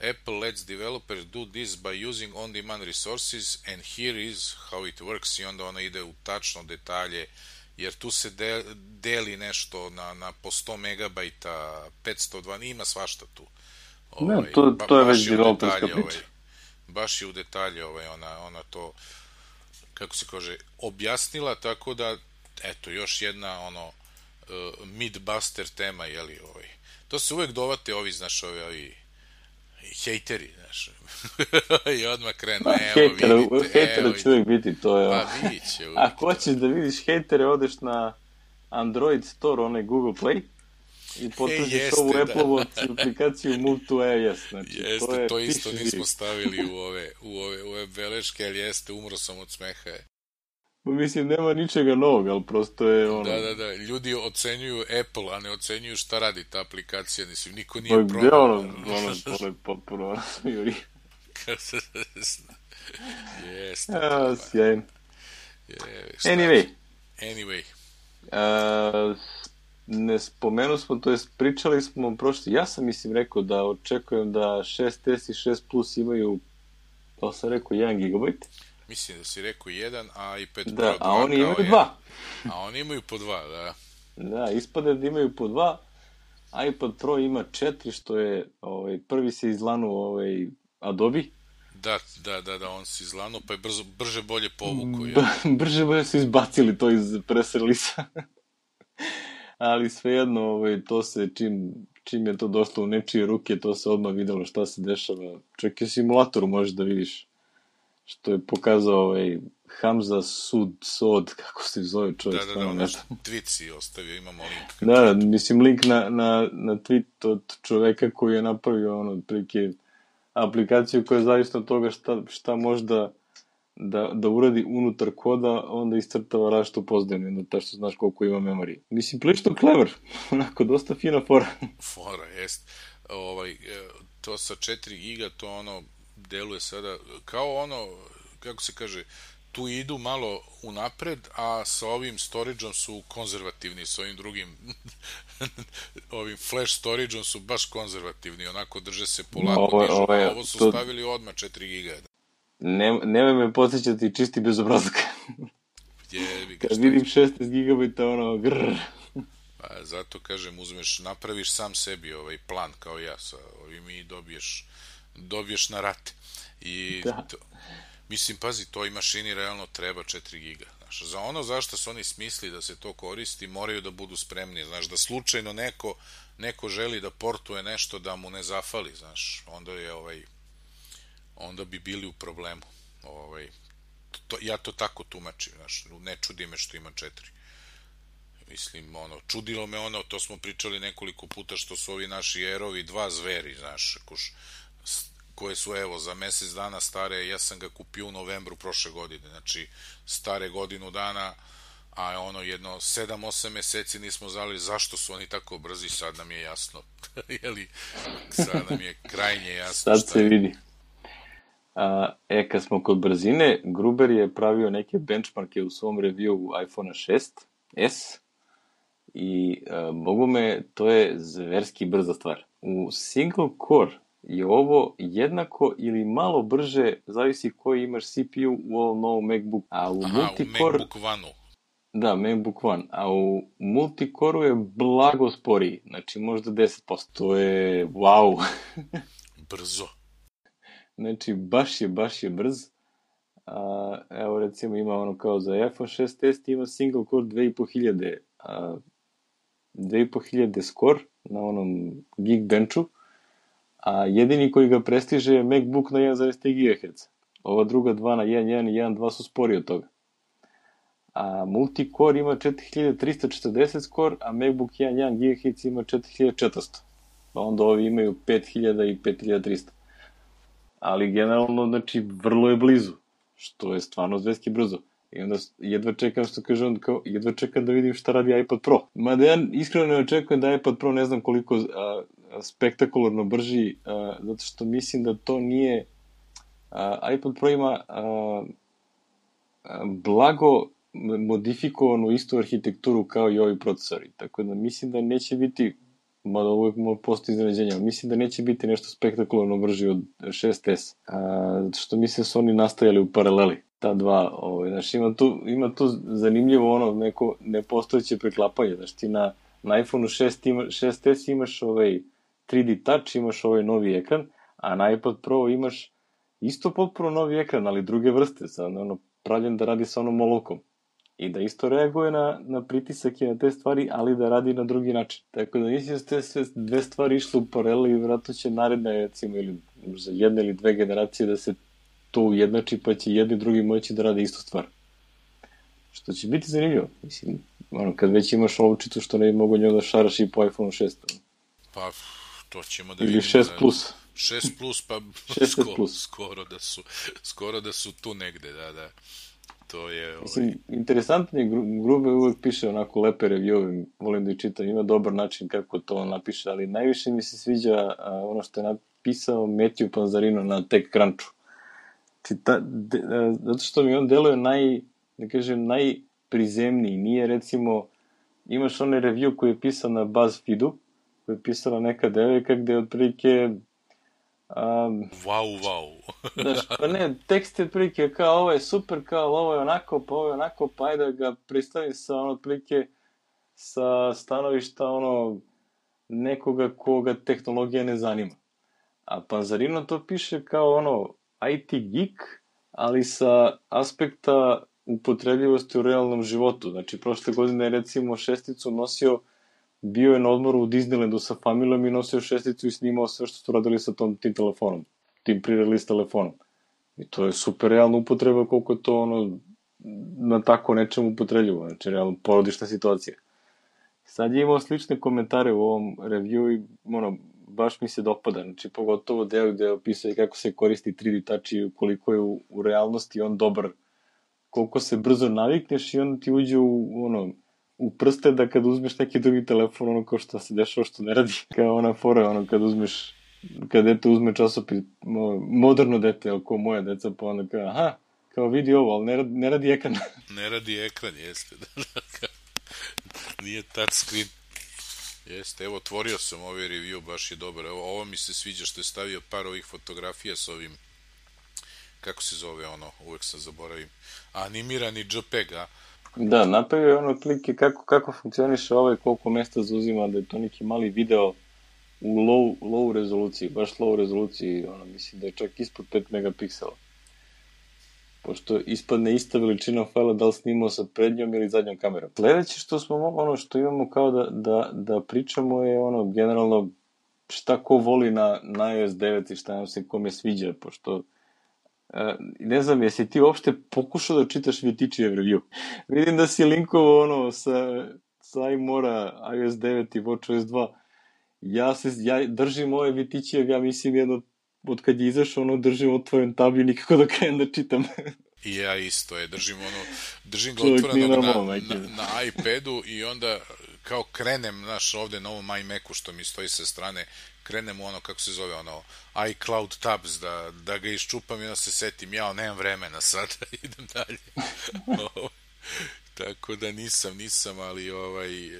Apple lets developers do this by using on-demand resources and here is how it works, i onda ona ide u tačno detalje, jer tu se deli nešto na po 100 megabajta, 502, ima svašta tu. To je već developerska priča. Baš je u detalje ona to, kako se kaže, objasnila, tako da, eto, još jedna mid-buster tema, jeli, to se uvek dovate znaš, ovi hejteri, znaš, i odmah krenu, hejtera će uvijek biti, to je pa biće uvijek. Ako hoćeš da vidiš hejtere, odeš na Android Store, onaj Google Play, i potražiš ovu Apple-ovu aplikaciju Move to iOS. Jeste, to isto nismo stavili u ove beleške, ali jeste, umro sam od smeha. Mislim, nema ničega novog, ali prosto je Da, ljudi ocenjuju Apple, a ne ocenjuju šta radi ta aplikacija, mislim, niko nije probao. To je potpuno juri. Jeste. Sjajno. Anyway. Ne spomenu smo, to jest pričali smo prošli, ja sam rekao da očekujem da 6S i 6 Plus imaju, to sam rekao, 1 GB. Mislim da si rekao 1, a iPad Pro 2. Da, a oni imaju 2. A oni imaju po 2, da. Da, ispade da imaju po 2, iPad Pro ima 4, što je, prvi se izlanuo Adobe. Da, on se izlanuo, pa je brže bolje povukao. Brže bolje su izbacili to iz press release-a. Ali svejedno, to se, čim je to došlo u nečije ruke, to se odmah videlo šta se dešava. Čak i u simulatoru možeš da vidiš što je pokazao Hamza Sod, kako se zove čovjek. Da, tweet si ostavio, imamo link. Da, mislim, link na tweet od čoveka koji je napravio otprilike aplikaciju koja je zavisno od toga šta može da uradi unutar koda, onda iscrtava različito pozdajno, onda ta što znaš koliko ima memorije. Mislim, prilično clever, onako, dosta fina fora. Fora, jest. To sa 4 giga, to deluje sada kao kako se kaže, tu idu malo unapred, a sa ovim storage-om su konzervativni, sa ovim drugim ovim flash storage-om su baš konzervativni, onako drže se polako. Ovo su stavili odmah 4 giga. Nemoj me podsjećati čisti bezobrazak. Kad vidim 16 GB, ono, grrr. Pa, zato kažem, napraviš sam sebi plan kao ja sa ovim i dobiješ na rate. I mislim, pazi, toj mašini realno treba 4 giga. Znaš, za ono zašto su oni smisli da se to koristi, moraju da budu spremni. Znaš, da slučajno neko želi da portuje nešto da mu ne zafali, znaš, onda bi bili u problemu. Ja to tako tumačim, znaš, ne čudi me što ima 4. Mislim, čudilo me to smo pričali nekoliko puta, što su ovi naši Aerovi 2 zveri, znaš, koje su, evo, za mesec dana stare, ja sam ga kupio u novembru prošle godine, znači, stare godinu dana, a jedno 7-8 meseci nismo znali zašto su oni tako brzi, sad nam je jasno. Jeli, sad nam je krajnje jasno. Sad se vidi. Kad smo kod brzine, Gruber je pravio neke benchmarke u svom review iPhone 6s i mogu me, to je zverski brza stvar. U single core je ovo jednako ili malo brže, zavisi koji imaš CPU u ovom novom MacBooku. U MacBook One-u. Da, MacBook One, a u multicore-u je blago sporiji, znači možda 10%. To je wow. Brzo. Znači, baš je brz. Evo, recimo, ima kao za iPhone 6s ima single core 2500. 2500 score na onom Geekbenchu, a jedini koji ga prestiže je MacBook na 1,3 GHz. Ova druga dva na 1.1 i 1.2 su spori od toga. A multicore ima 4340 score, a MacBook 1.1 GHz ima 4400. Pa onda ovi imaju 5000 i 5300. Ali generalno, znači, vrlo je blizu, što je stvarno zveski brzo. I onda jedva čekam, što kaže on, kao, jedva čekam da vidim šta radi iPad Pro. Mada ja iskreno ne očekujem da iPad Pro ne znam koliko spektakularno brži, zato što mislim da to nije... iPad Pro ima blago modifikovanu istu arhitekturu kao i ovi procesori. Tako da mislim da neće biti, mada uvijek postoji iznenađenje, ali mislim da neće biti nešto spektakularno brži od 6S. Zato što mislim da su oni nastajali u paraleli. Ta dva, znaš, ima tu zanimljivo neko nepostojeće preklapanje, znaš, ti na iPhone 6s imaš 3D Touch, imaš novi ekran, a na iPad Pro imaš isto potpuno novi ekran, ali druge vrste, pravljen da radi sa onom olovkom. I da isto reaguje na pritisak i na te stvari, ali da radi na drugi način. Tako da mislim da su te sve dve stvari išle u paralelu i vjerojatno će naredne, recimo, ili za 1 ili 2 generacije da se to ujednači, pa će jedni i drugi moći da rade istu stvar. Što će biti zanimljivo. Mislim, kad već imaš olovčicu, što ne bi mogo njoj da šaraš i po iPhone 6. Pa, to ćemo da vidimo. Ili 6 plus. 6 plus, pa skoro da su tu negde, da. To je... Mislim, interesantno je, Grube uvek piše onako lepe review, volim da ih čitam, ima dobar način kako to napiše, ali najviše mi se sviđa ono što je napisao Matthew Panzarino na TechCrunchu. Zato što mi on deluje najprizemniji, nije recimo, imaš onaj review koji je pisan na BuzzFeedu, koji je pisala neka devojka gde je otprilike... Wow. Znaš, pa ne, tekst je otprilike kao ovo je super, kao ovo je onako, pa ovo je onako, pa ajde da ga predstavim sa otprilike sa stanovišta nekoga koga tehnologija ne zanima. A Panzarino to piše kao IT geek, ali sa aspekta upotrebljivosti u realnom životu. Znači, prošle godine je recimo šesticu nosio, bio je na odmoru u Disneylandu sa familijom i nosio šesticu i snimao sve što su radili sa tim telefonom, tim pre-release telefonom. I to je super realna upotreba koliko je to na tako nečemu upotrebljivo, znači realno porodična situacija. Sad je imao slične komentare u ovom review i baš mi se dopada, znači pogotovo deo gde opisuje kako se koristi 3D Touch i koliko je u realnosti on dobar, koliko se brzo navikneš i onda ti uđe u prste da kad uzmeš neki drugi telefon, kao što se dešava što ne radi, kao ona fora, kad dete uzme časopis, moderno dete, ko moja deca, pa onda kao, kao vidi ovo, ali ne radi ekran. Ne radi ekran, jeste, nije touchscreen. Jeste, evo, otvorio sam ovaj review, baš je dobar. Evo, ovo mi se sviđa što je stavio par ovih fotografija s ovim, kako se zove uvek sam zaboravim, animirani JPEG, Da, napravio je ono otprilike kako funkcioniše koliko mesta zauzima, da je to neki mali video u low rezoluciji, baš low rezoluciji, mislim da je čak ispod 5 megapiksela. Pošto ispadne ista veličina fajla da li snimao sa prednjom ili zadnjom kamerom. Sledeće što imamo kao da pričamo je generalno šta ko voli na iOS 9 i šta nam se kome sviđa, pošto ne znam, jesi ti uopšte pokušao da čitaš Vitičijev review? Vidim da si linkovao sa iMora, iOS 9 i WatchOS 2. Ja držim ove Vitičijev, ja mislim jedno od kad je izašao, držim otvoren tab i nikako da krenem da čitam. I ja isto držim ga otvorenog na iPadu i onda kao krenem, ovde na ovom iMacu što mi stoji sa strane, krenem kako se zove, iCloud tabs, da ga iščupam i onda se setim, nemam vremena sada, idem dalje. Tako da nisam, ali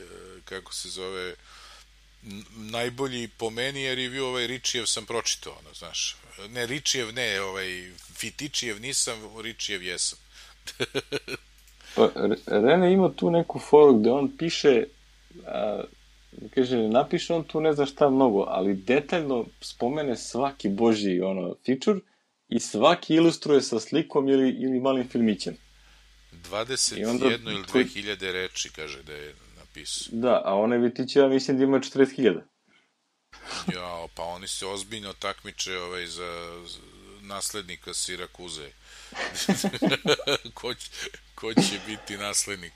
kako se zove, najbolji po meni je review Ričijev sam pročitao, znaš. Ne, Ričijev ne, Vitičijev nisam, Ričijev jesam. Pa, Rene ima tu neku foru gde on piše, kaže, napiše on tu ne znam šta mnogo, ali detaljno spomene svaki božji feature i svaki ilustruje sa slikom ili malim filmićem. 21 ili 2000 reči, kaže da je napisao. Da, a one Vitićeva mislim da ima 40.000. Ja, pa oni se ozbiljno takmiče za naslednika Sirakuze. Ko će biti naslednik?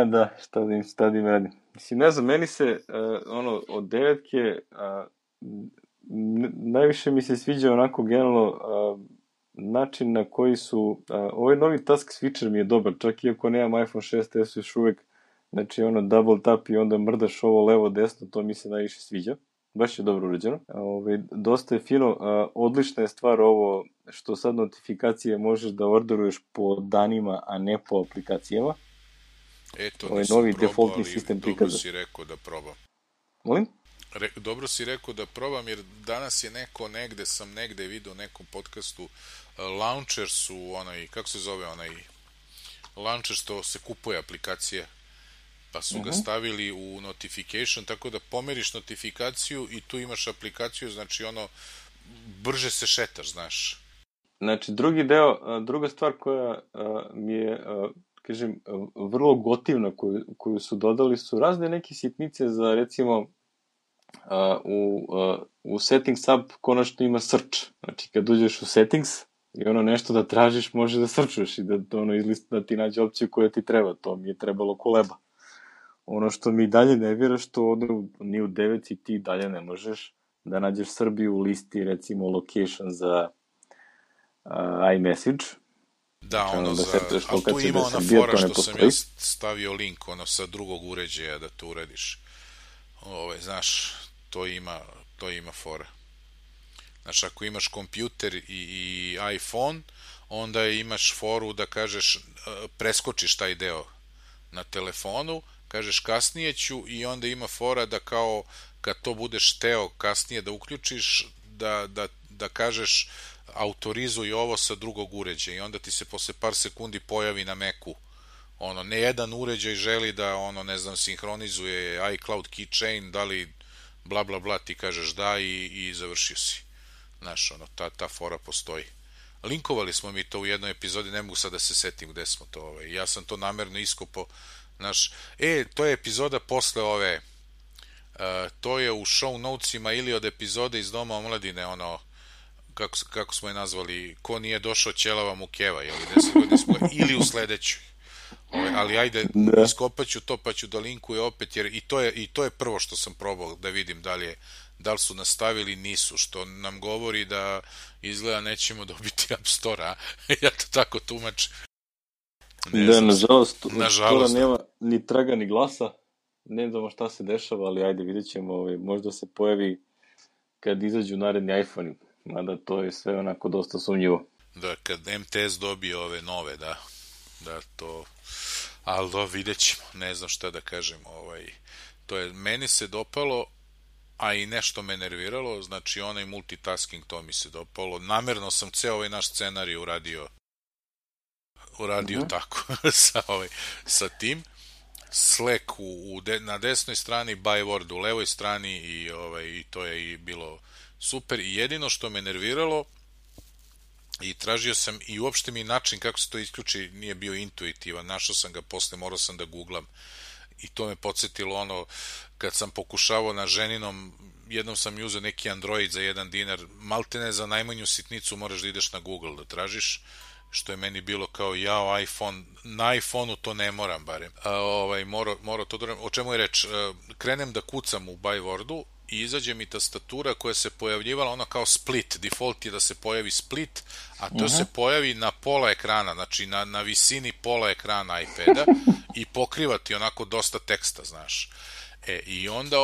Da, šta da im radim. Mislim, ne znam, meni se od 9-ke najviše mi se sviđa onako generalno način na koji su ovaj novi task switcher mi je dobar, čak iako nemam iPhone 6s još uvek, znači double tap i onda mrdaš ovo levo desno, to mi se najviše sviđa. Baš je dobro urađeno. Dosta je fino. Odlična je stvar ovo što sad notifikacije možeš da orderuješ po danima, a ne po aplikacijama. Eto, nisam novi probao, ali dobro si rekao da probam. Molim? Dobro si rekao da probam, jer danas je sam negde vidio u nekom podcastu, launcher su kako se zove launcher što se kupuje aplikacije, pa su ga stavili u notification, tako da pomeriš notifikaciju i tu imaš aplikaciju, znači brže se šetaš, znaš. Znači, druga stvar koja mi je, kažem, vrlo gotivna, koju su dodali, su razne neke sitnice za, recimo, u settings app konačno ima search. Znači, kad uđeš u settings i nešto da tražiš, može da searchuješ i da ti nađe opciju koja ti treba. To mi je trebalo koleba. Ono što mi dalje nervira, što ni u 9 ti dalje ne možeš da nađeš Srbiju u listi, recimo, location za iMessage. Da, ali tu ima ona fora što sam ja stavio link, sa drugog uređaja da to uradiš. Znaš, to ima fora. Znaš, ako imaš kompjuter i iPhone, onda imaš foru da kažeš, preskočiš taj deo na telefonu, kažeš kasnije ću i onda ima fora da kao kad to budeš teo kasnije da uključiš, da kažeš autorizuj ovo sa drugog uređaja i onda ti se posle par sekundi pojavi na Macu. Ne jedan uređaj želi da ne znam, sinhronizuje iCloud keychain, da li bla bla bla, ti kažeš da i završio si. Znaš, ta fora postoji. Linkovali smo mi to u jednoj epizodi, ne mogu sad da se setim gde smo to, ja sam to namerno iskopao. Znaš, to je epizoda posle ove, to je u show notesima ili od epizode iz Doma omladine, kako smo je nazvali, ko nije došao ćelava mu keva, 10 godina smo, ili u sledećoj. Ali ajde, iskopaću to pa ću da linkuje opet, jer i to je prvo što sam probao da vidim da li su nastavili, nisu, što nam govori da izgleda nećemo dobiti App Store-a. Ja to tako tumačim. Da, nažalost, nema ni traga ni glasa, ne znamo šta se dešava, ali ajde, vidjet ćemo, možda se pojavi kad izađu naredni iPhone-i, mada to je sve onako dosta sumnjivo. Da, kad MTS dobije ove nove, da to, ali vidjet ćemo, ne znam šta da kažem, to je, meni se dopalo, a i nešto me nerviralo, znači onaj multitasking, to mi se dopalo, namerno sam ceo naš scenarij uradio uradio tako sa tim. Slack na desnoj strani, Byword u levoj strani i to je i bilo super. I jedino što me nerviralo i tražio sam i uopšte mi način kako se to isključi nije bio intuitivan, našao sam ga posle, morao sam da googlam i to me podsjetilo kad sam pokušavao na ženinom, jednom sam uzeo neki Android za $1, maltene za najmanju sitnicu moraš da ideš na Google da tražiš, što je meni bilo kao iPhone, na iPhone-u to ne moram barem. Mora to da... O čemu je reč? Krenem da kucam u Bywordu i izađe mi tastatura koja se pojavljivala ono kao split, default je da se pojavi split, a to se pojavi na pola ekrana, znači na visini pola ekrana iPada i pokriva ti onako dosta teksta, znaš. I onda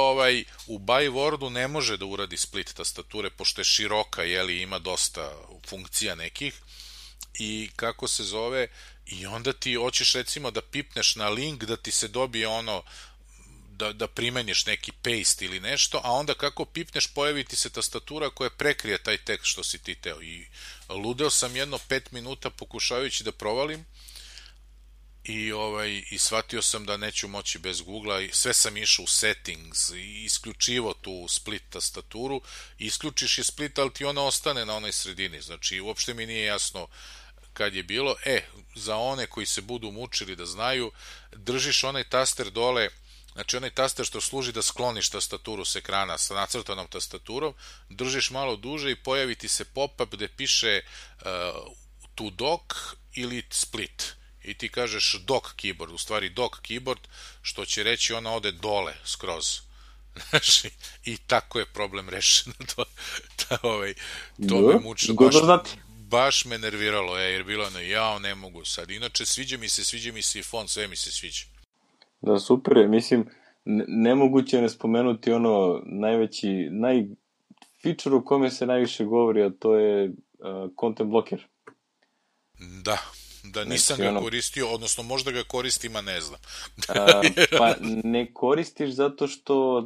u Bywordu ne može da uradi split tastature, pošto je široka, ima dosta funkcija nekih, i kako se zove, i onda ti hoćeš recimo da pipneš na link da ti se dobije da primeniš neki paste ili nešto, a onda kako pipneš pojavi ti se tastatura koja prekrije taj tekst što si ti teo. I ludeo sam jedno 5 minuta pokušavajući da provalim i shvatio sam da neću moći bez Googlea i sve sam išao u settings i isključivo tu split tastaturu, isključiš je split, ali ti ona ostane na onoj sredini, znači uopšte mi nije jasno kad je bilo. Za one koji se budu mučili da znaju, držiš onaj taster dole, znači onaj taster što služi da skloniš tastaturu s ekrana sa nacrtanom tastaturom, držiš malo duže i pojavi ti se pop-up gde piše to dock ili split. I ti kažeš dock keyboard, u stvari dock keyboard, što će reći ona ode dole skroz. Znači, i tako je problem rešen. To me mučilo. Baš me nerviralo, jer bilo ne mogu sad. Inače, sviđa mi se i font, sve mi se sviđa. Da, super je, mislim, nemoguće je ne spomenuti feature u kome se najviše govori, a to je content blocker. Da nisam ga koristio, odnosno možda ga koristim, a ne znam. Pa ne koristiš zato što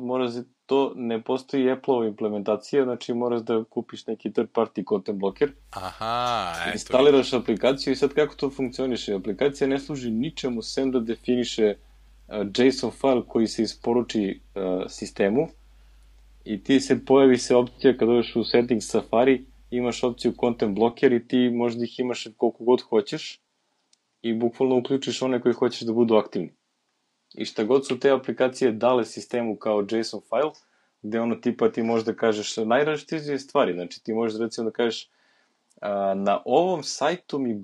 to ne postoji Apple-ova implementacija, znači moraš da kupiš neki third party content blocker. Instaliraš aplikaciju i sad kako to funkcioniše? Aplikacija ne služi ničemu sem da definiše JSON file koji se isporuči sistemu i ti pojavi se opcija kad dođeš u settings Safari, imaš opciju content blocker i ti možda ih imaš koliko god hoćeš i bukvalno uključiš one koji hoćeš da budu aktivni. I šta god su te aplikacije dale sistemu kao JSON file, gde tipa ti možeš da kažeš najrazličitije stvari, znači ti možeš recimo da kažeš na ovom sajtu mi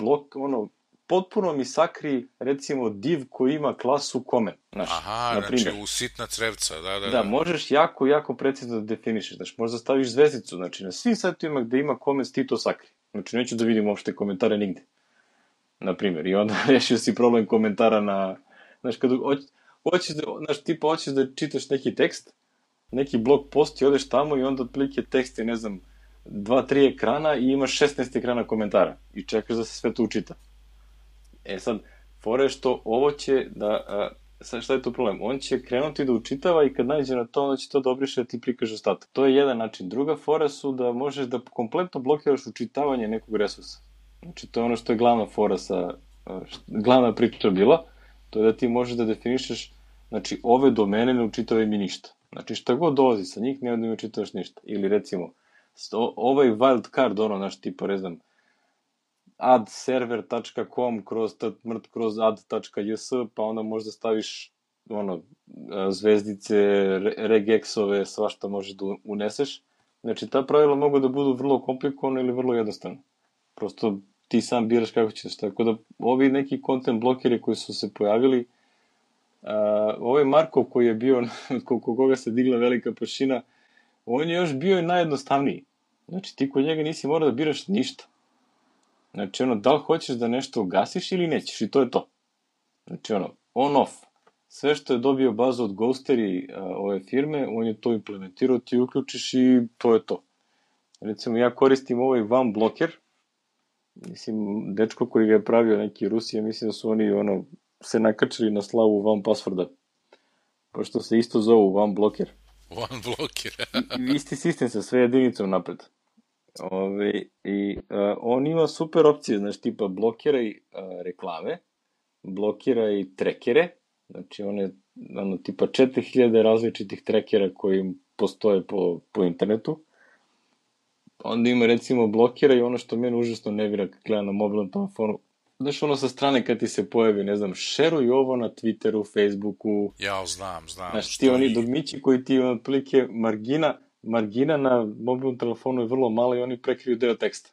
potpuno mi sakri recimo div koji ima klasu comment. Znači u sitna crevca, da. Da, možeš jako, jako precizno da definišeš, znači možda staviš zvezdicu, znači na svim sajtovima gde ima comments ti to sakri. Znači neću da vidim uopšte komentare nigde. Naprimjer, i onda rešio si problem komentara na, znaš, kada hoćeš da čitaš neki tekst, neki blog post i odeš tamo i onda otprilike tekst je, 2-3 ekrana i imaš 16 ekrana komentara i čekaš da se sve to učita. Sad, fora je što ovo će šta je to problem? On će krenuti da učitava i kad nađe na to, onda će to da obriše da ti prikaže ostatak. To je jedan način. Druga fora su da možeš da kompletno blokiraš učitavanje nekog resursa. Znači, to je ono što je glavna fora glavna priča bila, to je da ti možeš da definišeš, znači, ove domene ne učitavaj mi ništa. Znači, šta god dolazi sa njih, ne učitavaš ništa. Ili, recimo, ovaj wildcard, tipa, addserver.com kroz add.js, pa onda možda staviš, zvezdice, regexove, svašta možeš da uneseš. Znači, ta pravila mogu da budu vrlo komplikovane ili vrlo jednostavne. Prosto ti sam biraš kako ćeš. Tako da ovi neki content blokeri koji su se pojavili, ovaj Markov koji je bio, koliko koga se digla velika prašina, on je još bio i najjednostavniji. Znači ti kod njega nisi morao da biraš ništa. Znači da li hoćeš da nešto ugasiš ili nećeš i to je to. Znači on off. Sve što je dobio bazu od Ghostery ove firme, on je to implementirao, ti uključiš i to je to. Recimo ja koristim ovaj One Blocker, mislim, dečko koji ga je pravio neki Rusije, mislim da su oni se nakačili na slavu One Passworda. Pošto se isto zovu One Blocker. One Blocker. Isti sistem sa sve jedinicom napred. On ima super opcije, znači tipa blokiraj reklame, blokiraj trekere, znači tipa 4000 različitih trekera koji postoje po internetu. Onda ima recimo blokiraj ono što mene užasno nervira kad gledam na mobilnom telefonu. Znaš ono sa strane kad ti se pojavi, ne znam, šeruj ovo na Twitteru, Facebooku. Ja, znam. Znaš, ti oni dugmići koji ti otprilike margina na mobilnom telefonu je vrlo mala i oni prekriju deo teksta.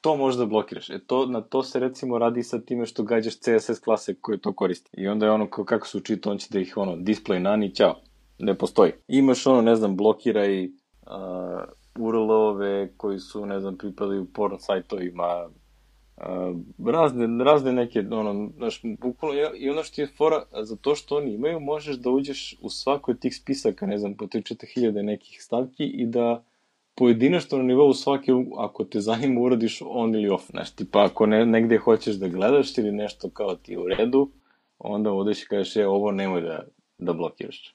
To možda blokiraš. Na to se recimo radi sa time što gađaš CSS klase koje to koristi. I onda je ono kako se učito, on će da ih display nani, ćao. Ne postoji. Imaš ne znam, blokiraj URL-ove koji su, ne znam, pripadaju porno sajtovima, razne neke, znaš, i ono što je fora, za to što oni imaju, možeš da uđeš u svako od tih spisaka, ne znam, po 3-4 nekih stavki i da pojedinačno na nivou svake, ako te zanima, uradiš on ili off. Znaš, tipa, ako negde hoćeš da gledaš ili nešto kao ti u redu, onda odeš i kažeš, ovo nemoj da blokiraš.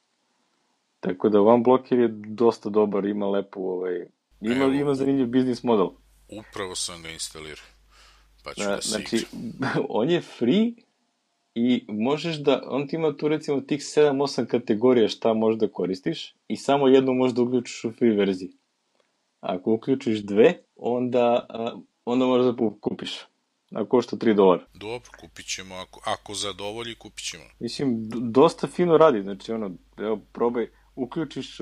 Tako da One Blocker je dosta dobar, ima lepu, ima zanimljiv biznis model. Upravo sam ga instalirao. Pa ću da znači, on je free i možeš da, on ti ima tu recimo tih 7-8 kategorija šta možeš da koristiš i samo jednu možeš da uključiš u free verziji. Ako uključiš dve, onda možeš da kupiš. A košta $3. Dobro, kupit ćemo. Ako zadovolji, kupit ćemo. Mislim, dosta fino radi. Znači, evo, probaj, uključiš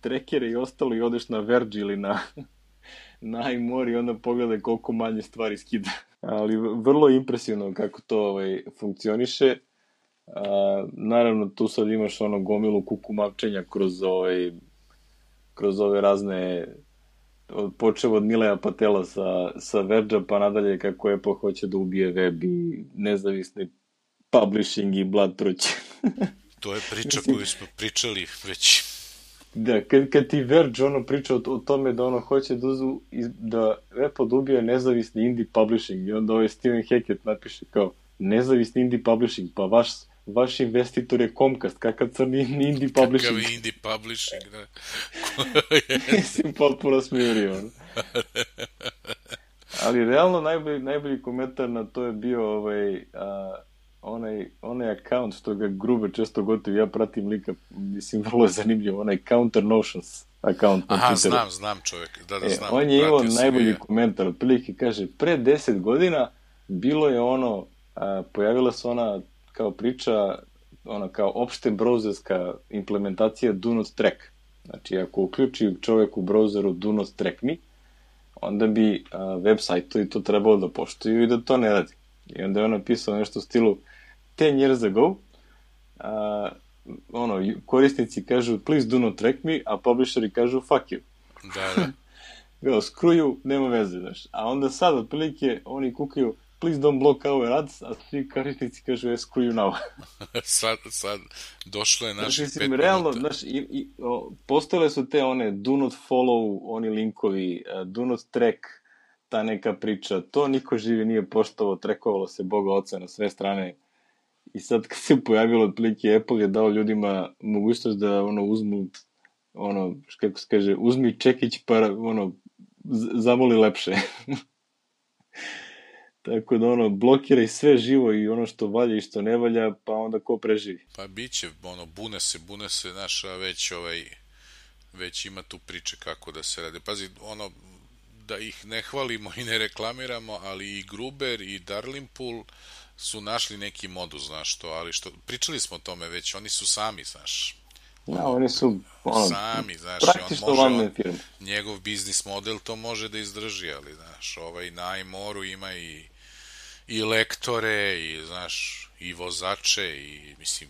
trekere i ostalo i odeš na Verge ili na iMore i onda pogledaj koliko manje stvari skida. Ali vrlo impresivno kako to funkcioniše. Naravno, tu sad imaš gomilu kukumavčenja kroz ove razne, počeo od Nileja Patela sa Verge-a pa nadalje kako Apple hoće da ubije web i nezavisni publishing i blatruć. To je priča koju smo pričali već. Da, kad ti Verge priča o tome da hoće da Apple ubije nezavisni indie publishing i onda Steven Hackett napiše kao nezavisni indie publishing, pa vaš investitor je Comcast, kakav crni indie publishing. Kakav indie publishing, da. Mislim, potpuno smirio. Ali realno najbolji komentar na to je bio onaj account što ga Gruber često gotovi, ja pratim lika, mislim, vrlo je zanimljivo, onaj Counter Notions account. Aha, znam čovjek, da znam. On je imao najbolji komentar, otprilike kaže, pre 10 godina bilo je pojavila se ona kao priča, kao opšte browserska implementacija Do Not Track. Znači, ako uključi čovjek u browseru Do Not Track Me, onda bi web sajtovi to trebalo da poštuju i da to ne radi. I onda je on napisao nešto u stilu 10 years ago, korisnici kažu please do not track me, a publisheri kažu fuck you. Da. Screw you, nema veze, znaš. A onda sad, otprilike, oni kukaju please don't block our ads, a svi korisnici kažu screw you now. sad došlo je naših 5 minuta. Realno, znaš, postojale su te do not follow, oni linkovi, do not track, ta neka priča, to niko živi nije poštovao, trekovalo se Boga oca na sve strane. I sad kad se pojavilo otprilike, Apple je dao ljudima mogućnost da uzmu, kako se kaže, uzmi čekić pa zamoli lepše. Tako da blokiraj sve živo i ono što valja i što ne valja, pa onda ko preživi. Pa biće, bune se, naša već ima tu priče kako da se radi. Pazi, da ih ne hvalimo i ne reklamiramo, ali i Gruber i Darlingpool su našli neki modus, znaš to, ali pričali smo o tome već, oni su sami, znaš. Ja, oni su sami, znaš, praktično vanne firme. Njegov biznis model to može da izdrži, ali, znaš, na iMore-u ima i lektore, i, znaš, i vozače, i, mislim,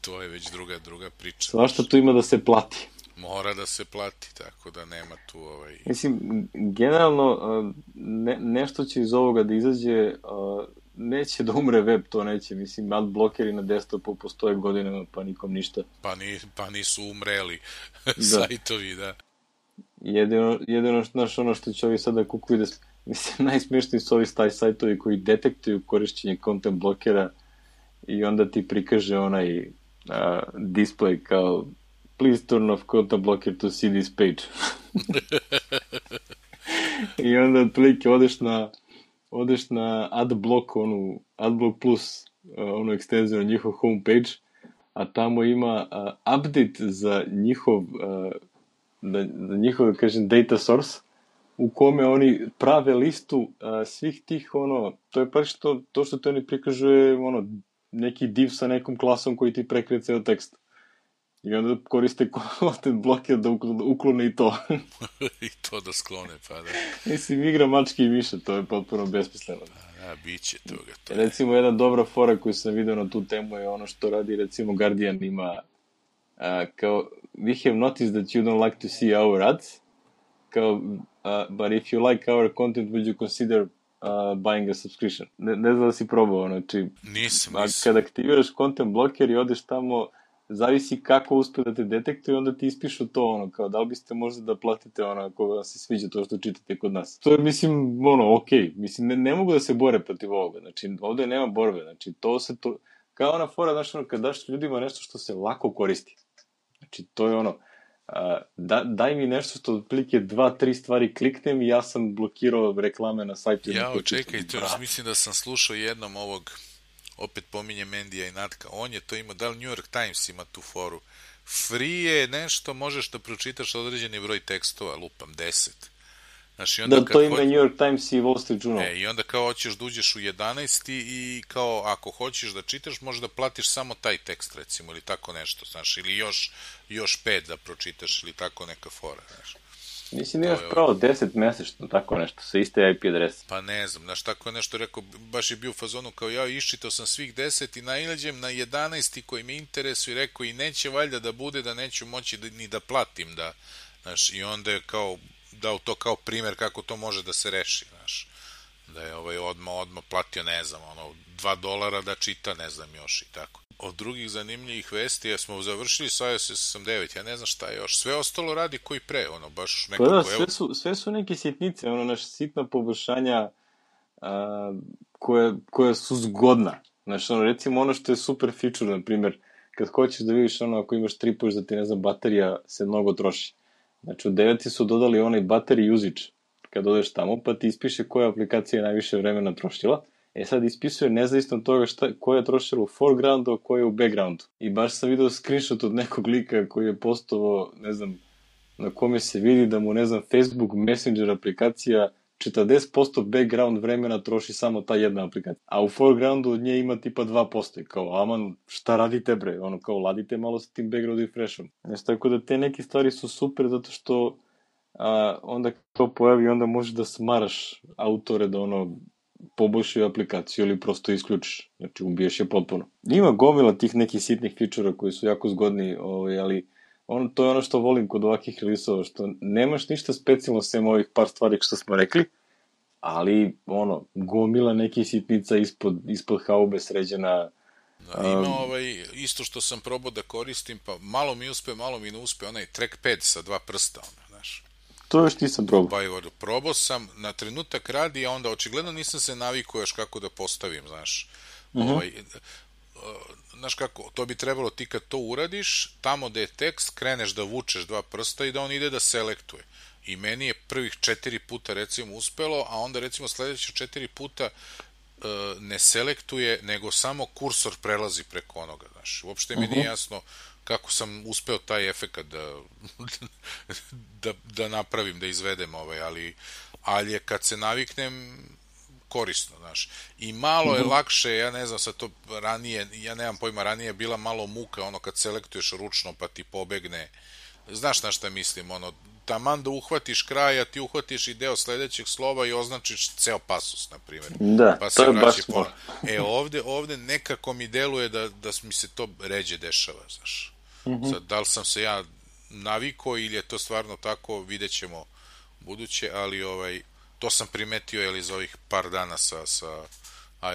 to je već druga priča. Svašta tu ima da se plati. Mora da se plati, tako da nema tu Mislim, generalno, nešto će iz ovoga da izađe, neće da umre web, to neće, mislim, ad blokeri na desktopu postoje godinama, pa nikom ništa. Pa nisu umreli sajtovi, da. Jedino, znaš, što će ovi sada kukuju, mislim, najsmešniji su ovi sajtovi koji detektuju korišćenje content blokera i onda ti prikaže onaj display kao please turn off content blocker to see this page. I onda otprilike odeš na Adblock, Adblock Plus, onu ekstenziju na njihov homepage, a tamo ima update za njihov, da kažem, data source, u kome oni prave listu svih tih, to je baš to što te oni prikažuje, neki div sa nekom klasom koji ti prekrije ceo tekst. I onda koriste content blocker da uklone i to. I to da sklone, pa da. Mislim, igra mačke i miša, to je potpuno besmisleno. Bit će toga. Recimo, jedna dobra fora koju sam vidio na tu temu je ono što radi, recimo, Guardian ima kao, we have noticed that you don't like to see our ads, kao, but if you like our content, would you consider buying a subscription? Ne znam da si probao, znači... Nisam. Kad aktiviraš content blocker i odeš tamo, zavisi kako uspe da te detektuje, onda ti ispišu to, kao da li biste možda da platite, ako vam se sviđa to što čitate kod nas. To je, mislim, okej. Mislim, ne mogu da se bore protiv ovoga. Znači, ovde nema borbe. Znači, kao ona fora, znaš, kad daš ljudima nešto što se lako koristi. Znači, to je daj mi nešto što otprilike 2-3 stvari kliknem i ja sam blokirao reklame na sajtu. Čekajte, mislim da sam slušao jednom ovog, opet pominjem Mendija i Natka, on je to imao, da li New York Times ima tu foru, free je nešto, možeš da pročitaš određeni broj tekstova, lupam, 10. Znaš, da, to ima New York Times i Wall Street Journal. I onda kao hoćeš da uđeš u 11. i kao ako hoćeš da čitaš, možeš da platiš samo taj tekst, recimo, ili tako nešto, znaš, ili još 5 da pročitaš, ili tako neka fora, znaš. Mislim da imaš pravo 10 mesečno, tako nešto, sa iste IP adrese. Pa ne znam, znaš, tako nešto rekao, baš je bio u fazonu kao ja, iščitao sam svih 10 i nailađem na 11. koji me interesuje i rekao i neće valjda da bude da neću moći ni da platim, da, znaš, i onda je kao dao to kao primer kako to može da se reši, znaš, da je odmah platio, ne znam, $2 da čita, ne znam još i tako. Od drugih zanimljivih vesti, ja smo završili sa iOS 8.9, ja ne znam šta je još, sve ostalo radi koji pre, baš nekako... Pa da, sve su neke sitnice, naša sitna poboljšanja koja su zgodna. Znaš, recimo što je super feature, na primjer, kad hoćeš da vidiš ako imaš tripuješ da ti, ne znam, baterija se mnogo troši. Znači, u 9 su dodali onaj battery usage, kad odeš tamo, pa ti ispiše koja aplikacija je najviše vremena trošila. Sad ispisuje nezavisno od toga koja je trošila u foregroundu, a koja je u backgroundu. I baš sam vidio screenshot od nekog lika koji je postovao, ne znam, na kome se vidi da mu, ne znam, Facebook Messenger aplikacija 40% background vremena troši samo ta jedna aplikacija. A u foregroundu od nje ima tipa 2%. I kao, aman, šta radite bre? Kao, ladite malo sa tim background refreshom. Znači, tako da te neke stvari su super zato što onda to pojavi, onda možeš da smaraš autore da poboljšaju aplikaciju ili prosto isključiš. Znači, ubiješ je potpuno. Ima gomila tih nekih sitnih fičura koji su jako zgodni, ali to je što volim kod ovakvih release-ova, što nemaš ništa specijalno sem ovih par stvari što smo rekli, ali, gomila nekih sitnica ispod haube sređena. Ima isto što sam probao da koristim, pa malo mi uspe, malo mi ne uspe, onaj trackpad sa 2 prsta, znaš. To još nisam probao. Probao sam, na trenutak radi, a onda očigledno nisam se navikao još kako da postavim, znaš. Znaš kako, to bi trebalo ti kad to uradiš, tamo gde je tekst, kreneš da vučeš 2 prsta i da on ide da selektuje. I meni je prvih 4 puta recimo uspelo, a onda recimo sledeće 4 puta ne selektuje, nego samo kursor prelazi preko onoga, znaš. Uopšte mi nije jasno kako sam uspeo taj efekat da napravim, da izvedem ali je kad se naviknem korisno, znaš. I malo je lakše, ja ne znam sad to ranije, ja nemam pojma, ranije je bila malo muka, kad selektuješ ručno pa ti pobegne, znaš na šta mislim, taman da uhvatiš kraj, a ti uhvatiš i deo sledećeg slova i označiš ceo pasus, na primjer. Da, pa to je baš smart. Ovde nekako mi deluje da mi se to ređe dešava, znaš. Sad, da li sam se ja navikao ili je to stvarno tako, vidjet ćemo buduće, ali to sam primetio za ovih par dana sa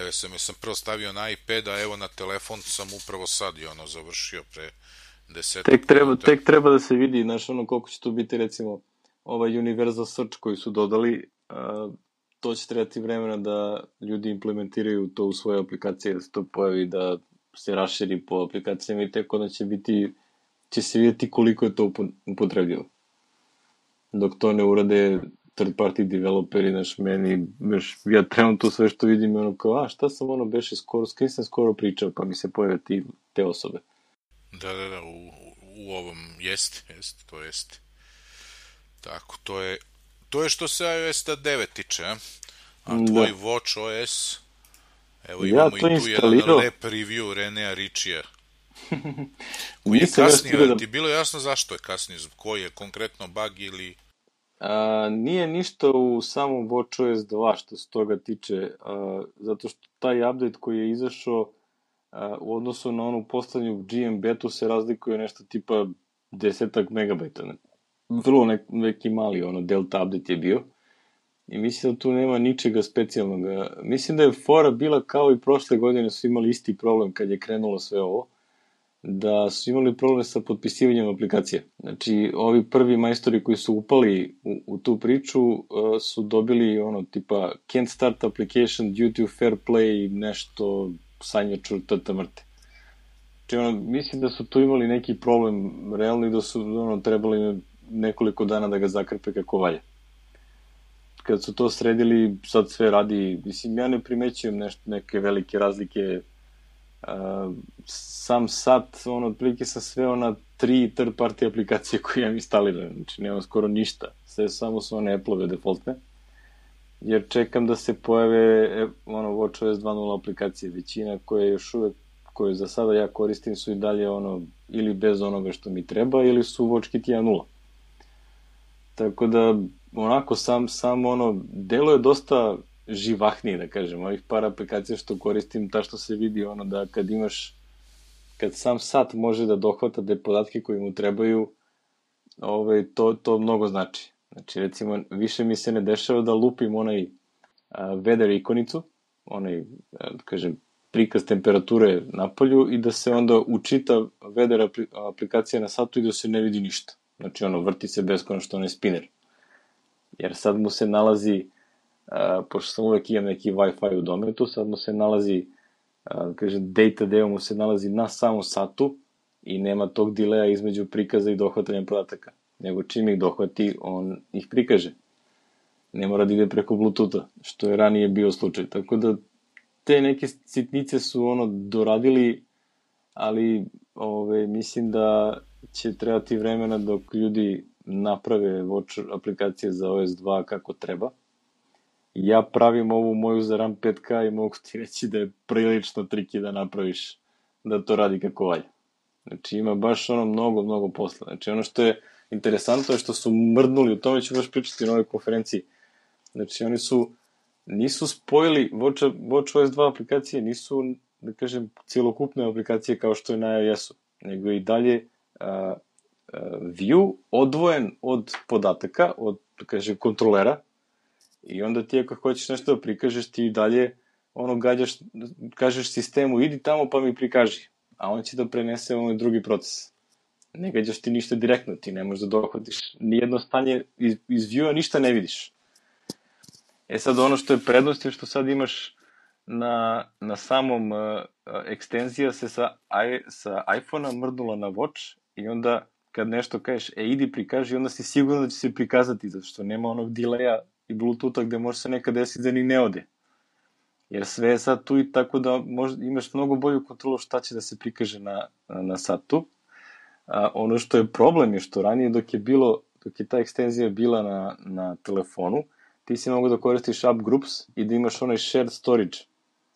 iOS-om. Ja sam prvo stavio na iPad, a evo na telefon sam upravo sad i završio pre 10 Tek treba da se vidi, znaš, koliko će tu biti, recimo, ovaj Universal Search koji su dodali, to će trebati vremena da ljudi implementiraju to u svoje aplikacije, da se to pojavi, da se raširi po aplikacijama i tek onda će biti će se vidjeti koliko je to upotrebljivo. Dok to ne urade third party developeri, meni, ja trenutno sve što vidim je ono kao, šta sam ono beše skoro, s kim sam skoro pričao, pa mi se pojave te osobe. Da, u ovom jest, to jest. Tako, to je što se iOS 9 tiče, a tvoj WatchOS, evo imamo i tu jedan lep review Renea Richija, koji je kasnije, ti bilo jasno zašto je kasnije, koji je konkretno bug ili... Nije ništa u samom WatchOS 2 što se toga tiče, zato što taj update koji je izašao u odnosu na onu poslednju GM betu se razlikuje nešto tipa 10 megabajta. Vrlo neki mali delta update je bio i mislim da tu nema ničega specijalnog. Mislim da je fora bila kao i prošle godine, su imali isti problem kad je krenulo sve ovo, da su imali problem sa potpisivanjem aplikacije. Znači, ovi prvi majstori koji su upali u tu priču su dobili tipa can't start application due to fair play, nešto sanjaču tata mrte. Znači, mislim da su tu imali neki problem realno i da su trebali nekoliko dana da ga zakrpe kako valja. Kad su to sredili, sad sve radi, mislim, ja ne primećujem neke velike razlike. Sam sat, otprilike sa sve 3 third party aplikacije koje imam instalirane, znači nemam skoro ništa, sve samo su one Apple-ove defaultne, jer čekam da se pojave WatchOS 2.0 aplikacije, većina koje za sada ja koristim su i dalje ili bez onoga što mi treba, ili su WatchKit 1.0. Tako da, sam delo je dosta živahniji, da kažem, ovih par aplikacija što koristim, ta što se vidi da kad sam sat može da dohvata te podatke koji mu trebaju, to mnogo znači. Znači, recimo, više mi se ne dešava da lupim weather ikonicu, kažem, prikaz temperature na polju i da se onda učita weather aplikacija na satu i da se ne vidi ništa. Znači, vrti se beskonačno onaj spinner. Jer sad mu se nalazi, pošto sam uvek imam neki Wi-Fi u dometu, sad mu se nalazi, kažem, data deo mu se nalazi na samom satu i nema tog dileja između prikaza i dohvatanja podataka. Nego čim ih dohvati, on ih prikaže. Ne mora da ide preko Bluetootha, što je ranije bio slučaj. Tako da, te neke sitnice su doradili, ali mislim da će trebati vremena dok ljudi naprave Watch aplikacije za OS 2 kako treba. Ja pravim ovu moju za RAM 5K i mogu ti reći da je prilično triki da napraviš da to radi kako valja. Znači ima baš mnogo posla. Znači što je interesantno je što su mrdnuli, u tome ću baš pričati na ovoj konferenciji. Znači oni nisu spojili WatchOS 2 aplikacije, nisu, da kažem, cijelokupne aplikacije kao što je na iOS-u, nego i dalje view odvojen od podataka, od, da kažem, kontrolera, i onda ti ako hoćeš nešto da prikažeš, ti dalje kažeš sistemu idi tamo pa mi prikaži, a on će da prenese drugi proces. Ne gađaš ti ništa direktno, ti ne možeš da dohvatiš nijedno stanje iz view-a, ništa ne vidiš. Sad što je prednost je što sad imaš na samom ekstenzija se sa iPhone-a mrdnula na Watch i onda kad nešto kažeš idi prikaži, onda si sigurno da će se prikazati, zato što nema onog delaya i Bluetootha gde može se nekad desiti da ni ne ode. Jer sve je sad tu i tako da imaš mnogo bolju kontrolu šta će da se prikaže na satu. Ono što je problem je što ranije dok je ta ekstenzija bila na telefonu, ti si mogu da koristiš App Groups i da imaš onaj shared storage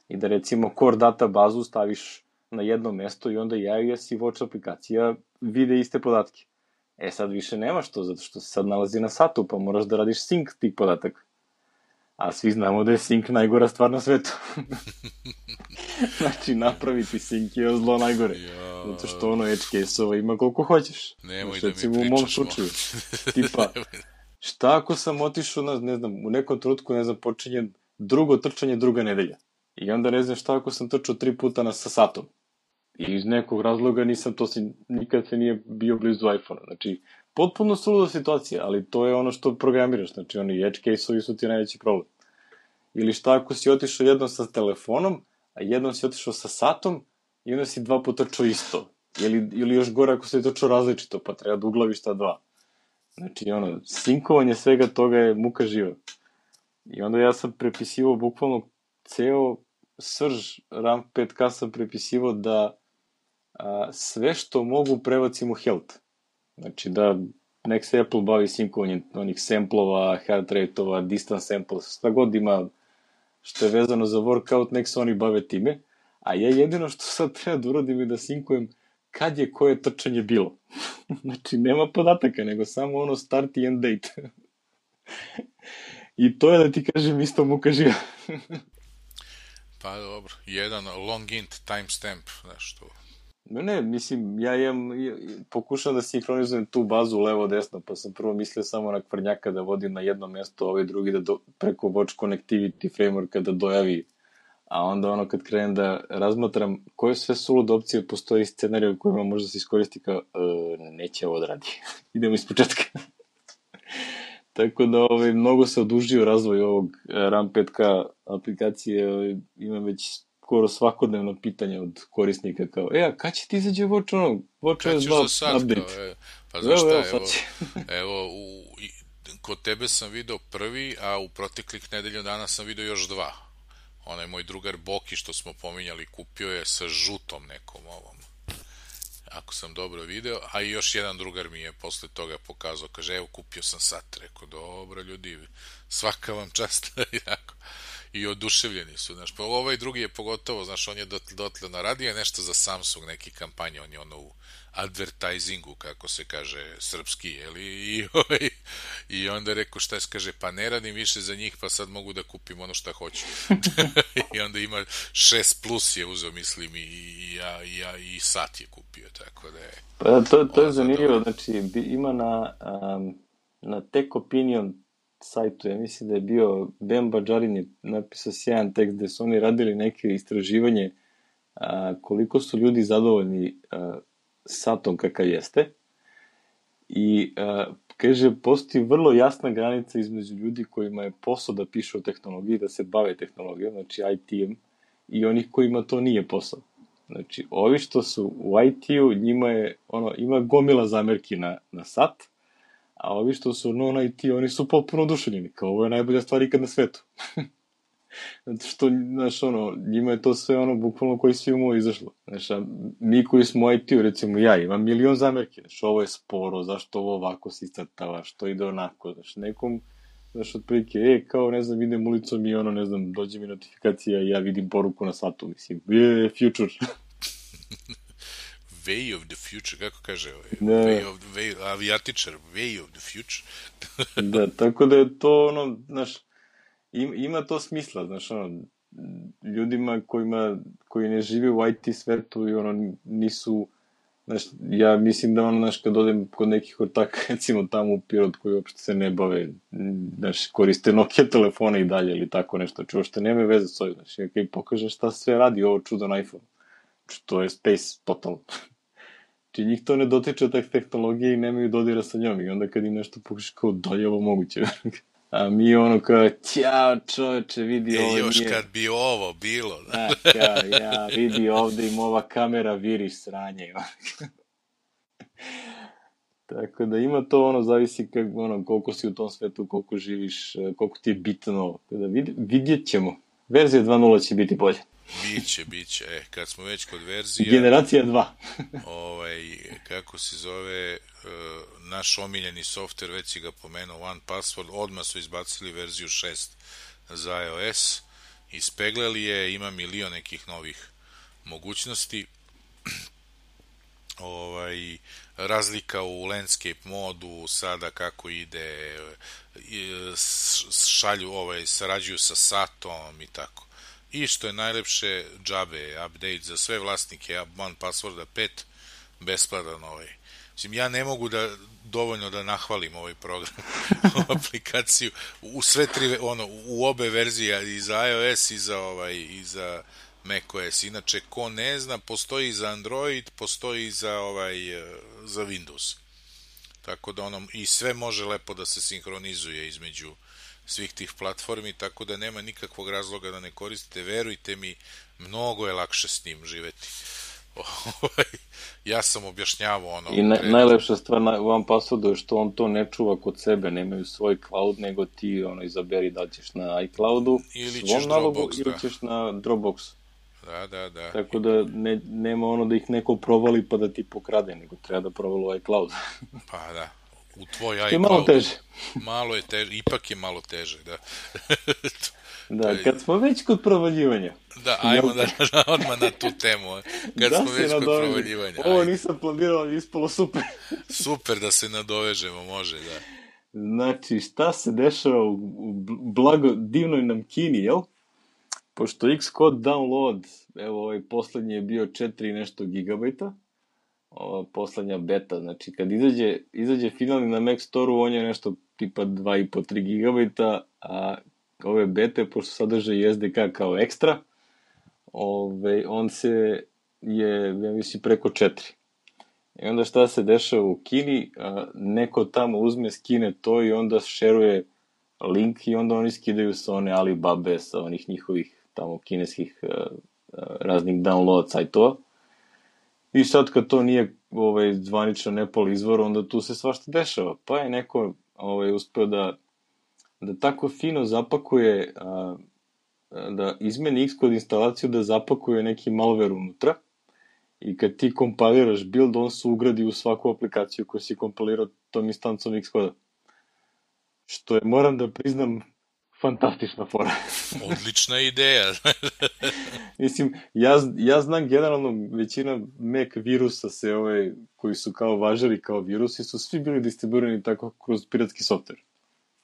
i da recimo core data bazu staviš na jedno mesto i onda iOS i Watch aplikacija vide iste podatke. Sad više nemaš to, zato što se sad nalazi na satu, pa moraš da radiš sync tih podataka. A svi znamo da je sync najgora stvar na svetu. Znači, napraviti sync je zlo najgore. Zato što edge case-ova ima koliko hoćeš. Nemoj da mi pričaš. U mom slučaju. Tipa, šta ako sam otišao, ne znam, u nekom trenutku, počinje drugo trčanje druga nedelja. I onda ne znam šta ako sam trčao 3 puta sa satom. I iz nekog razloga nikad se nije bio blizu iPhone-a. Znači, potpuno suluda situacija, ali to je ono što programiraš. Znači, oni edge case-ovi su ti najveći problem. Ili šta ako si otišao jednom sa telefonom, a jednom si otišao sa satom i onda si 2 puta trčao isto. ili još gore ako se je točno različito, pa treba da uglaviš ta dva. Znači, sinkovanje svega toga je muka živa. I onda ja sam prepisivao bukvalno ceo srž RAM 5K sam prepisivao da sve što mogu prebacim u health. Znači da nek se Apple bavi sinkovanjem onih samplova, heart rate-ova, distance samples, šta god ima što je vezano za workout, nek se oni bave time. A ja jedino što sad treba da uradim je da sinkujem kad je koje trčanje bilo. Znači, nema podataka, nego samo start i end date. I to je da ti kažem isto muka živa. Pa dobro, jedan long int timestamp, znaš to. Ne, mislim, ja pokušam da sinhronizujem tu bazu levo-desno, pa sam prvo mislio samo na kvrnjaka da vodim na jedno mesto, ovaj drugi da preko Watch Connectivity frameworka da dojavi. A onda kad krenem da razmatram koje sve sulude opcije postoji scenarij u kojima možda se iskoristi kao neće ovo da radi. Idemo iz početka. Tako da mnogo se odužio razvoj ovog RAM 5K aplikacije. Imam već skoro svakodnevno pitanje od korisnika kao, a kad će ti izađe Watch OS 2 update? Pa znaš šta, evo, kod tebe sam video prvi, a u proteklih nedelju dana sam video još dva. Onaj moj drugar Boki što smo pominjali kupio je sa žutom nekom ovom, ako sam dobro video, a i još jedan drugar mi je posle toga pokazao, kaže evo kupio sam sat, rekao dobro ljudi, svaka vam čast. I oduševljeni su, znaš, pa ovaj drugi je pogotovo, znaš, on je dotle naradio nešto za Samsung, neki kampanje, on je u advertisingu, kako se kaže srpski, jeli, i onda je rekao šta je, kaže, pa ne radim više za njih, pa sad mogu da kupim ono šta hoću. I onda ima 6 plus je uzeo, mislim, i sat je kupio, tako da je... Pa to je zanimljivo, znači, ima na Tech Opinion sajtu, ja mislim da je bio Ben Badžarin je napisao sjajan tekst gde su oni radili neke istraživanje koliko su ljudi zadovoljni satom kakav jeste i kaže, postoji vrlo jasna granica između ljudi kojima je posao da pišu o tehnologiji, da se bave tehnologijom, znači ITM, i onih kojima to nije posao. Znači, ovi što su u IT-u, njima je, ima gomila zamerki na sat, a ovi što su non-IT, oni su potpuno oduševljeni, kao ovo je najbolja stvar ikad na svetu. Zato što, znaš, njima je to sve bukvalno koji svi umovi izašlo. Znaš, mi koji smo u IT-u, recimo ja, imam milion zamerki, znaš, ovo je sporo, zašto ovo ovako se iscrtava, što ide onako, znaš, nekom, znaš, otprilike, kao, ne znam, idem ulicom i ne znam, dođe mi notifikacija i ja vidim poruku na satu, mislim, future. Way of the future, kako kaže avijatičar, way of the future. Da, tako da je to, znaš, ima to smisla, znaš, ljudima koji ne žive u IT svetu i nisu, znaš, ja mislim da znaš, kad odem kod nekih ortaka, recimo tamo u Pirot koji uopšte se ne bave, znaš, koriste Nokia telefone i dalje ili tako nešto, uopšte nema veze s ovim, znaš, i pokaže šta sve radi ovo čudan iPhone, što je space totalno. Či njih to ne dotiče tak tehnologije i nemaju dodira sa njom i onda kad im nešto pokušaš kao da je ovo moguće. A mi kao, ćao čoveče, vidi ovo nije. Još kad bi ovo bilo. Ja, vidi ovde im ova kamera viri sranje. Tako da ima to, zavisi koliko si u tom svetu, koliko živiš, koliko ti je bitno. Vidjet ćemo. Verzija 2.0 će biti bolje. Biće. Kad smo već kod verzija... Generacija 2. Kako se zove, naš omiljeni softver, već si ga pomenuo, OnePassword, odmah su izbacili verziju 6 za iOS, ispeglali je, ima milion nekih novih mogućnosti. Razlika u landscape modu, sada kako ide, sarađuju sa satom i tako. I što je najlepše, džabe, update za sve vlasnike OnePassworda 5, besplatan Mislim, ja ne mogu dovoljno da nahvalim ovaj program, aplikaciju, u sve tri, u obe verzije, i za iOS i za macOS. Inače, ko ne zna, postoji za Android, postoji za Windows. Tako da i sve može lepo da se sinhronizuje između svih tih platformi, tako da nema nikakvog razloga da ne koristite, verujte mi, mnogo je lakše s njim živeti. Ja sam objašnjavao ono... I najlepša stvar u OnePasswordu je što on to ne čuva kod sebe, nemaju svoj cloud, nego ti izaberi da ćeš na iCloudu, svom nalogu, ili ćeš na Dropboxu. Da. Tako da nema ono da ih neko provali pa da ti pokrade, nego treba da provali u iCloud. Pa da, u tvoj iCloud. To je malo teže. Malo je teže, ipak je malo teže, da. Da, kad smo već kod provaljivanja. Da, ajmo odmah na tu temu. Kad smo već kod provaljivanja. Ovo nisam planirao, ali ispalo super. Super da se nadovežemo, može, da. Znači, šta se dešava u divnoj nam Kini, jel? Pošto Xcode download, evo poslednji je bio 4 nešto gigabajta, poslednja beta, znači kad izađe finalni na Mac Store-u, on je nešto tipa 2,5-3 gigabajta, a ove bete, pošto sadrže SDK kao ekstra, on ja mislim, preko 4. I onda šta se dešava u Kini, neko tamo uzme, skine to i onda šeruje link i onda oni skidaju sa one Alibabe, sa onih njihovih tamo kineskih raznih download sajtova. I sad kad to nije zvaničan Apple izvor, onda tu se svašta dešava. Pa je neko uspeo da tako fino zapakuje, da izmeni Xcode instalaciju, da zapakuje neki malware unutra i kad ti kompiliraš build, on se ugradi u svaku aplikaciju koju si kompilirao tom instancom Xcode-a. Što je, moram da priznam, fantastična fora. Odlična ideja. Mislim, ja znam generalno većina Mac virusa koji su kao važili kao virusi, su svi bili distribuirani tako kroz piratski software.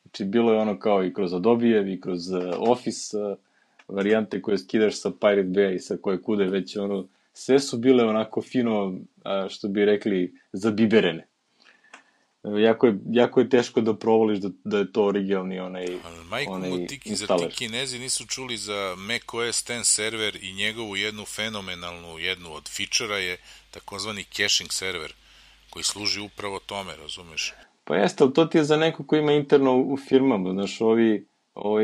Znači, bilo je ono kao i kroz Adobe-ev i kroz Office varijante koje skidaš sa Pirate Bay i sa koje kude već sve su bile onako fino, što bi rekli, zabiberene. Jako je teško da provališ da je to originalni installer. Za ti Kinezi nisu čuli za macOS X server i njegovu jednu fenomenalnu, jednu od feature-a je takozvani caching server, koji služi upravo tome, razumeš? Pa jeste, ali to ti je za neko ko ima interno u firmama, znaš,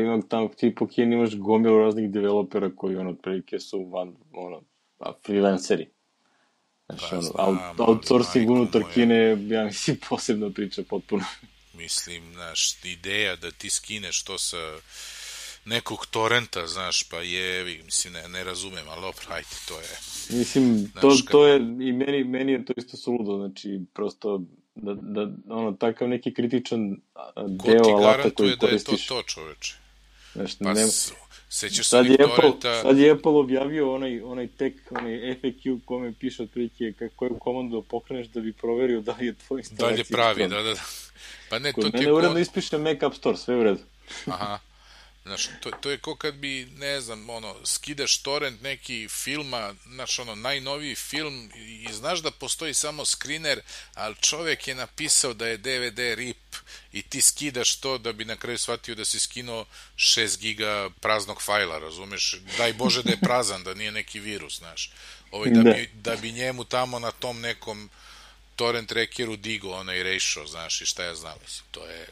ima tamo ti po Kini imaš gomilu raznih developera koji otprilike su freelanceri. Znači, outsourcing unutar Kine, ja mislim, posebno priča potpuno. Mislim, znaš, ideja da ti skineš to sa nekog torrenta, znaš, pa mislim, ne razumem, ali dobro, ajde, to je... Mislim, to je, i meni je to isto suludo, znači, prosto, takav neki kritičan deo alata koji koristiš. Ko ti garantuje da je to čoveče? Znači, sad je Apple objavio onaj FAQ kome piše otprilike koju komandu pokreneš da bi proverio da li je tvoj instalacija. Da li je pravi, da. Pa ne, kod mene uredno ispiše Mac App Store, sve u redu. Aha. Znaš, to je ko kad bi, ne znam, skidaš torrent neki filma, znaš, najnoviji film i znaš da postoji samo screener, ali čovjek je napisao da je DVD RIP i ti skidaš to da bi na kraju shvatio da si skinuo 6 giga praznog fajla, razumeš? Daj Bože da je prazan, da nije neki virus, znaš. Da bi njemu tamo na tom nekom torrent trackeru digo onaj ratio, znaš, i šta ja znam, mislim, to je...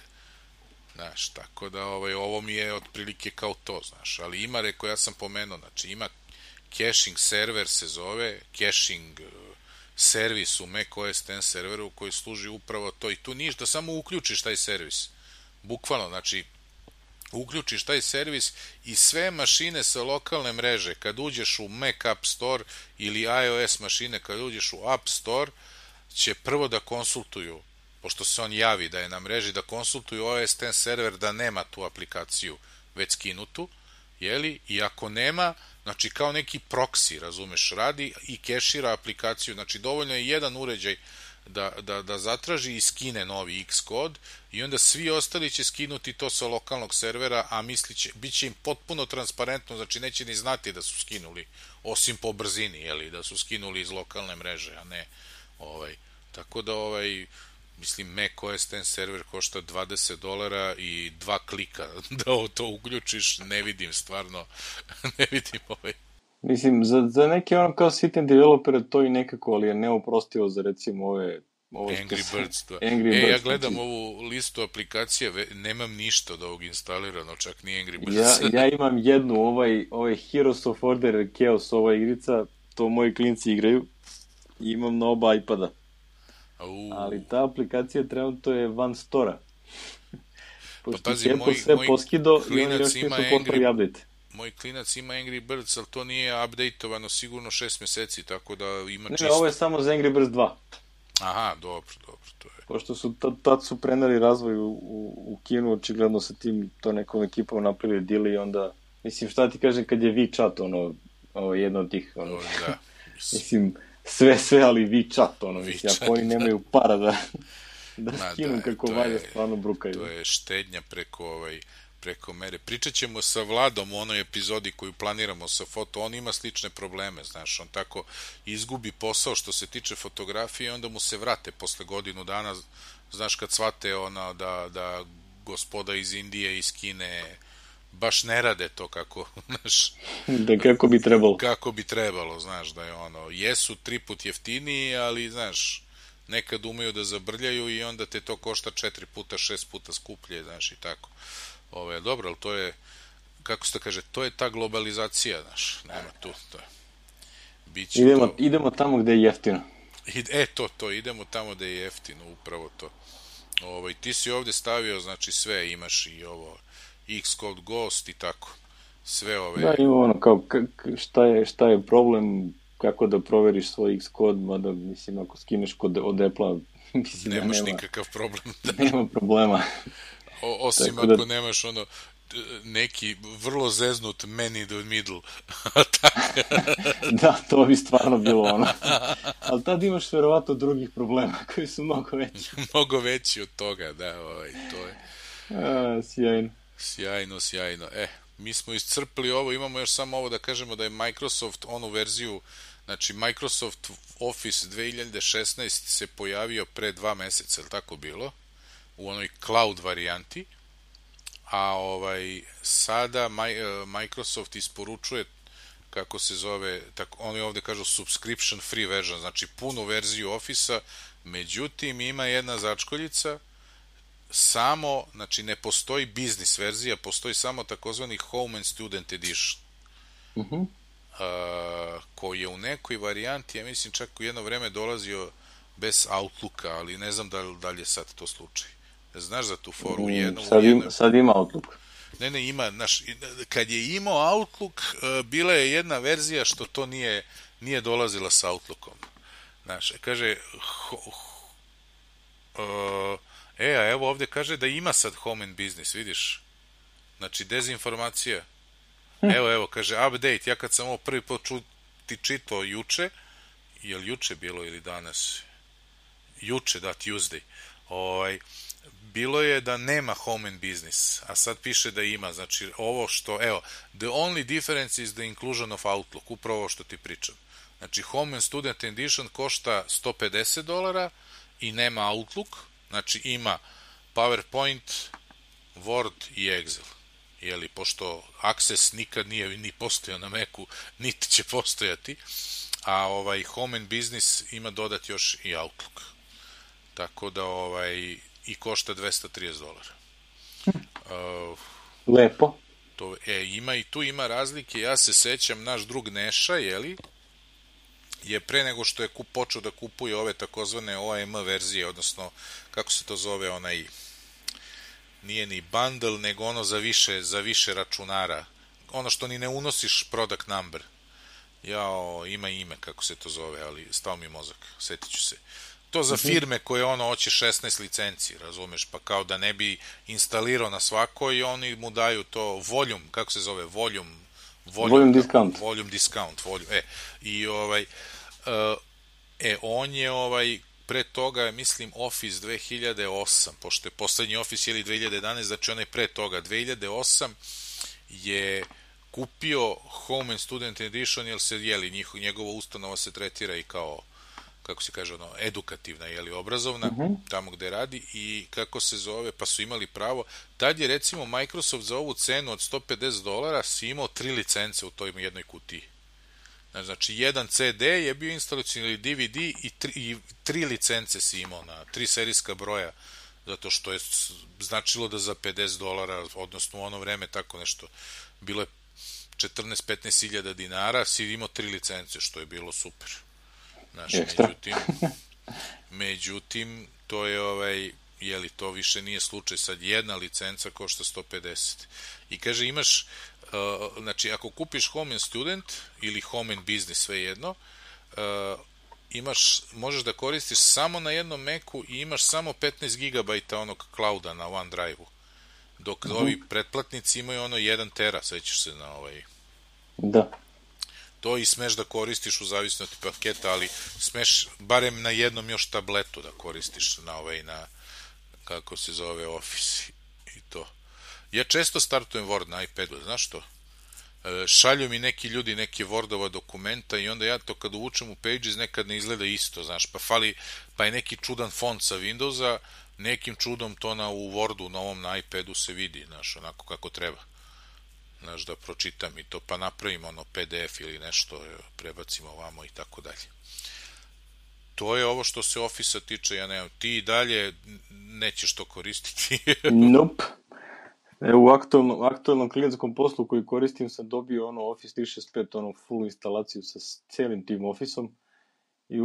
Znaš, tako da ovo mi je otprilike kao to, znaš, ali ima, rekao, ja sam pomenuo, znači ima caching server se zove, caching servis u macOS X serveru koji služi upravo to i tu niš da samo uključiš taj servis, bukvalno, znači uključiš taj servis i sve mašine sa lokalne mreže, kad uđeš u Mac App Store ili iOS mašine, kad uđeš u App Store, će prvo da konsultuju, pošto se on javi da je na mreži, da konsultuju OS X server da nema tu aplikaciju već skinutu, jeli? I ako nema, znači kao neki proxy, razumeš, radi i kešira aplikaciju, znači dovoljno je jedan uređaj da zatraži i skine novi Xcode i onda svi ostali će skinuti to sa lokalnog servera, a bit će im potpuno transparentno, znači neće ni znati da su skinuli, osim po brzini, jeli, da su skinuli iz lokalne mreže, a ne tako da mislim, macOS X server košta $20 i 2 klika da to uključiš, ne vidim stvarno, ne vidim Mislim, za neke kao sitne developere to i nekako, ali je neoprostivo za recimo ove Angry Birds. Ja gledam ovu listu aplikacije, nemam ništa od ovog instalirano, čak ni Angry Birds. Ja imam jednu, ovaj Heroes of Order Chaos, ova igrica, to moji klinci igraju Imam na oba iPada. Ali ta aplikacija trenutno je van stora. Pošto pa pazi, sve poskido i oni još nisu poslali update. Moj klinac ima Angry Birds, ali to nije updateovano sigurno 6 meseci, tako da ima čisto. Ne, ovo je samo za Angry Birds 2. Aha, dobro, to je. Pošto su tad su preneli razvoj u Kinu, očigledno sa tim to nekom ekipom napravili deal i onda, mislim, šta ti kažem kad je WeChat, ovo jedno od tih, da. Mislim, sve, ali WeChat, mislim, ako oni nemaju para da skinu kako valje, stvarno brukaju. To je štednja preko mere. Pričat ćemo sa Vladom u onoj epizodi koju planiramo sa foto, on ima slične probleme, znaš, on tako izgubi posao što se tiče fotografije i onda mu se vrate posle godinu dana, znaš, kad shvate da gospoda iz Indije, iz Kine baš ne rade to kako, znaš, da kako bi trebalo. Kako bi trebalo, znaš, da je jesu 3 put jeftiniji, ali, znaš, nekad umeju da zabrljaju i onda te to košta 4 puta, 6 puta skuplje, znaš, i tako. Dobro, ali to je, kako se to kaže, to je ta globalizacija, znaš, nema tu, to je. Idemo tamo gde je jeftino. Idemo tamo gde je jeftino, upravo to. Ti si ovde stavio, znači, sve, imaš i ovo, Xcode Ghost i tako, sve ove. Da, ima kao, šta je problem, kako da proveriš svoj Xcode, mada, mislim, ako skineš kod od Apple-a, mislim, nemaš nikakav problem. Nema problema. Osim ako nemaš neki vrlo zeznut man in the middle. Da, to bi stvarno bilo Ali tad imaš verovatno drugih problema koji su mnogo veći. Mnogo veći od toga, da, to je. Sjajno. Mi smo iscrpili ovo, imamo još samo ovo da kažemo da je Microsoft onu verziju, znači Microsoft Office 2016 se pojavio pre 2 meseca, je li tako bilo? U onoj cloud varijanti, a sada Microsoft isporučuje, kako se zove, oni ovde kažu subscription free version, znači punu verziju Office-a, međutim ima jedna začkoljica, samo, znači ne postoji business verzija, postoji samo takozvani Home and Student Edition, koji je u nekoj varijanti, ja mislim čak u jedno vreme dolazio bez Outlooka, ali ne znam da li je sad to slučaj. Znaš za tu foru? Sad ima Outlook. Ne, ima, znaš, kad je imao Outlook, bila je jedna verzija što to nije dolazila sa Outlookom. Znaš, kaže, a evo ovde kaže da ima sad Home and Business, vidiš? Znači, dezinformacija. Evo, kaže, update, ja kad sam ovo prvi put ti čitao juče, je li juče bilo ili danas? Juče, da, Tuesday. Bilo je da nema Home and Business, a sad piše da ima, znači ovo što, the only difference is the inclusion of Outlook, upravo ovo što ti pričam. Znači Home and Student Edition košta $150 i nema Outlook, znači ima PowerPoint, Word i Excel. Jeli, pošto Access nikad nije ni postojao na Macu, niti će postojati, a Home and Business ima dodati još i Outlook. Tako da i košta $230. Lepo. I tu ima razlike, ja se sećam, naš drug Neša, je pre nego što je počeo da kupuje ove takozvane OEM verzije, odnosno, kako se to zove, nije ni bundle, nego ono za više računara, ono što ni ne unosiš product number. Ima ime, kako se to zove, ali stao mi mozak, setit ću se. To za firme koje hoće 16 licenci, razumeš, pa kao da ne bi instalirao na svakoj i oni mu daju to volume, kako se zove, volume discount. Volume discount, on je pre toga, mislim, Office 2008, pošto je poslednji Office 2011, znači on je pre toga 2008 je kupio Home and Student Edition, jer se, njegova ustanova se tretira i kao, kako se kaže, edukativna, obrazovna, tamo gde radi, i kako se zove, pa su imali pravo. Tad je, recimo, Microsoft za ovu cenu od $150 si imao 3 licence u toj jednoj kutiji. Znači, jedan CD je bio instalacioni ili DVD i 3 licence si imao na 3 serijska broja, zato što je značilo da za $50, odnosno u ono vreme tako nešto, bilo je 14-15 hiljada dinara, si imao 3 licence, što je bilo super. Znaš, međutim, to je jeli, to više nije slučaj, sad jedna licenca košta 150. I kaže, imaš, znači, ako kupiš Home and Student ili Home and Business, sve jedno, možeš da koristiš samo na jednom Macu i imaš samo 15 GB onog clouda na OneDrive-u. Dok ovi pretplatnici imaju 1 tera, sećaš se na Da. To i smeš da koristiš u zavisnosti paketa, ali smeš barem na jednom još tabletu da koristiš na kako se zove Office i to. Ja često startujem Word na iPadu, znaš što? Šalju mi neki ljudi neke Wordova dokumenta i onda ja to kad uvučem u Pages nekad ne izgleda isto, znaš, pa je neki čudan font sa Windowsa, nekim čudom to u Wordu novom na iPadu se vidi, znaš, onako kako treba. Znaš, da pročitam i to, pa napravimo PDF ili nešto, prebacimo ovamo i tako dalje. To je ovo što se Office-a tiče, ja nemam. Ti i dalje nećeš to koristiti? Nope. U aktualnom klijentskom poslu koji koristim sam dobio Office 365, full instalaciju sa celim tim Office-om i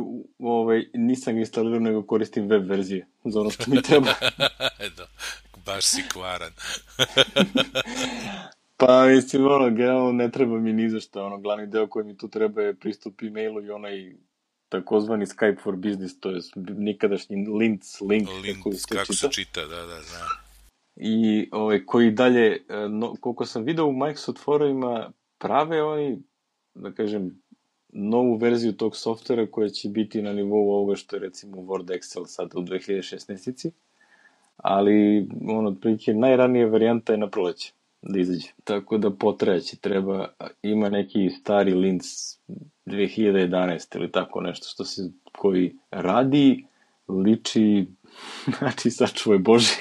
nisam ga instalirao, nego koristim web verzije za ono što mi treba. Baš si kvaran. Pa mislim, generalno ne treba mi ni za šta, glavni deo koji mi tu treba je pristup e-mailu i onaj takozvani Skype for Business, to je nikadašnji link, kako se čita, da. I koji dalje, koliko sam video u Microsoft forumima, prave oni, da kažem, novu verziju tog softvera koja će biti na nivou ovoga što je recimo Word, Excel sada u 2016. Ali, otprilike, najranija varijanta je na proleće da izađe. Tako da potrajeći ima neki stari Linux 2011 ili tako nešto koji radi, liči, znači sačuvaj Boži,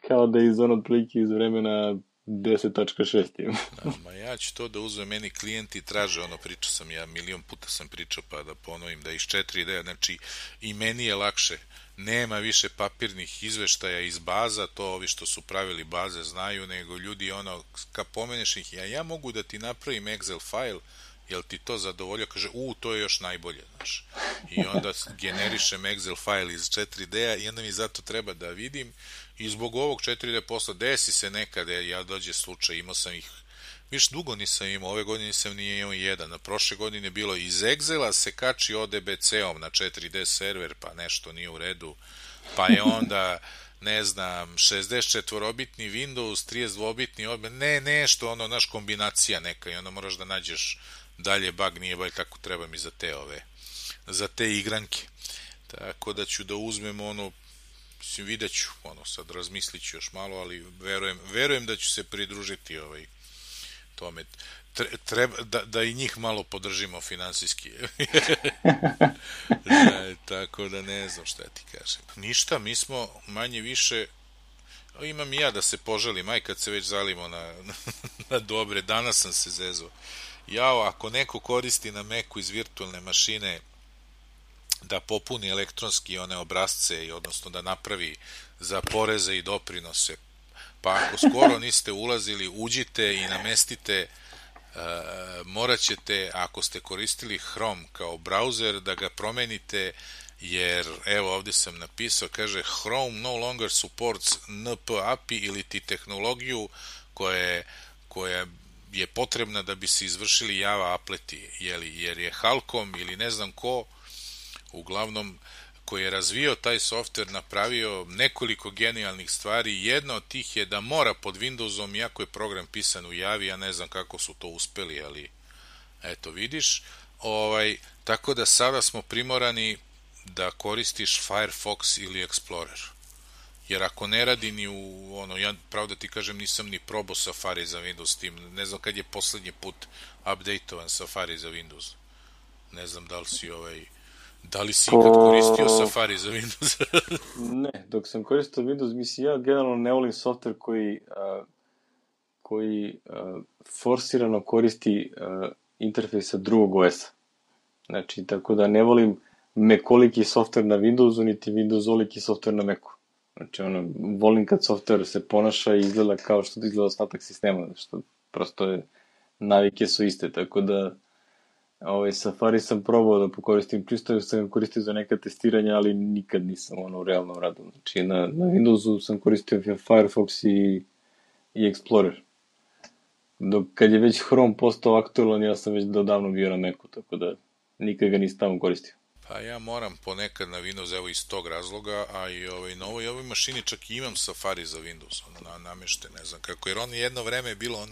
kao da je otprilike iz vremena 10.6. Ma ja ću to da uzmem, meni klijenti traže, pričao sam ja, milion puta sam pričao, pa da ponovim, da iz 4D, znači i meni je lakše. Nema više papirnih izveštaja iz baza, to ovi što su pravili baze znaju, nego ljudi kad pomeneš ih, ja mogu da ti napravim Excel file, jel ti to zadovoljio? Kaže, to je još najbolje, znaš. I onda generišem Excel file iz 4D-a i onda mi zato treba da vidim i zbog ovog 4D posla desi se nekada, ja dođe slučaj, imao sam ih, viš dugo nisam imao, ove godine nisam nije imao jedan, a prošle godine je bilo iz Excela se kači ODBC-om na 4D server, pa nešto nije u redu, pa je onda, ne znam, 64-bitni Windows, 32-bitni, nešto, naš kombinacija neka i onda moraš da nađeš dalje bug, nije baš kako treba mi za te igranke. Tako da ću da uzmem mislim, vidjet ću, sad razmislit ću još malo, ali verujem da ću se pridružiti tome. Treba da i njih malo podržimo finansijski. Tako da ne znam šta ti kažem. Ništa, mi smo manje više, imam i ja da se poželim, aj kad se već zalimo na dobre, danas sam se zezao. Ako neko koristi na Macu iz virtualne mašine da popuni elektronski one obrazce, odnosno da napravi za poreze i doprinose, pa ako skoro niste ulazili, uđite i namestite, morat ćete, ako ste koristili Chrome kao browser, da ga promenite, jer evo ovdje sam napisao, kaže Chrome no longer supports NP API ili ti tehnologiju koja je potrebna da bi se izvršili Java apleti, jer je Halcom ili ne znam ko, uglavnom koji je razvio taj softver, napravio nekoliko genijalnih stvari. Jedna od tih je da mora pod Windowsom, iako je program pisan u Javi, ja ne znam kako su to uspeli, ali eto vidiš. Tako da sada smo primorani da koristiš Firefox ili Explorer. Jer ako ne radi ni ja pravo da ti kažem nisam ni probao Safari za Windows tim, ne znam kad je poslednji put updateovan Safari za Windows. Ne znam da li si ikad koristio Safari za Windows? Ne, dok sam koristio Windows, mislim, ja generalno ne volim softver koji forsirano koristi interfejs sa drugog OS-a. Znači, tako da ne volim Mac-oliki softver na Windowsu, niti Windows-oliki softver na Macu. Znači, volim kad softver se ponaša i izgleda kao što izgleda ostatak sistema, što prosto navike su iste, tako da Safari sam probao da pokoristim, čisto sam koristio za neka testiranja, ali nikad nisam u realnom radu. Znači, na Windowsu sam koristio Firefox i Explorer. Dok kad je već Chrome postao aktualan, ja sam već davno bio na Macu, tako da nikad ga nisam tamo koristio. Pa ja moram ponekad na Windows, evo iz tog razloga, a i na ovoj mašini čak i imam Safari za Windows, namešten, ne znam kako, jer jedno vreme je bilo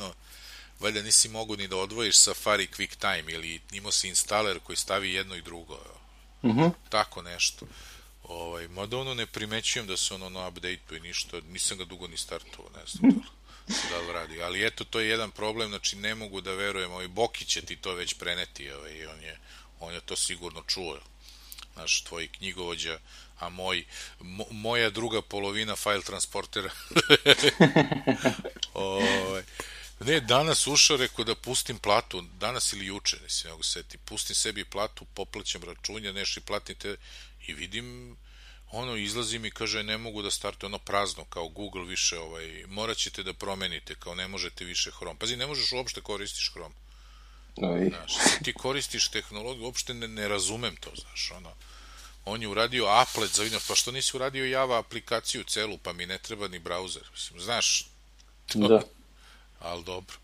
valjda nisi mogu ni da odvojiš Safari QuickTime ili imao si instaler koji stavi jedno i drugo. Tako nešto. Mada ne primećujem da se na update-u i ništa, nisam ga dugo ni startovao, ne znam da li radi. Ali eto, to je jedan problem, znači ne mogu da verujem, Boki će ti to već preneti, on je to sigurno čuo. Znaš, tvoj knjigovođa, a moja druga polovina file transportera. Ne, danas ušao, rekao da pustim platu, danas ili juče, ne si mogu seti, pustim sebi platu, poplaćam računja, nešto i platite i vidim, izlazi mi, kaže, ne mogu da starte, prazno, kao Google više, morat ćete da promenite, kao ne možete više Chrome. Pazi, ne možeš uopšte koristiš Chrome. Znaš, ti koristiš tehnologiju, uopšte ne razumem to, znaš, on je uradio applet za Windows, pa što nisi uradio Java aplikaciju celu, pa mi ne treba ni browser, mislim, znaš, da. Ali dobro,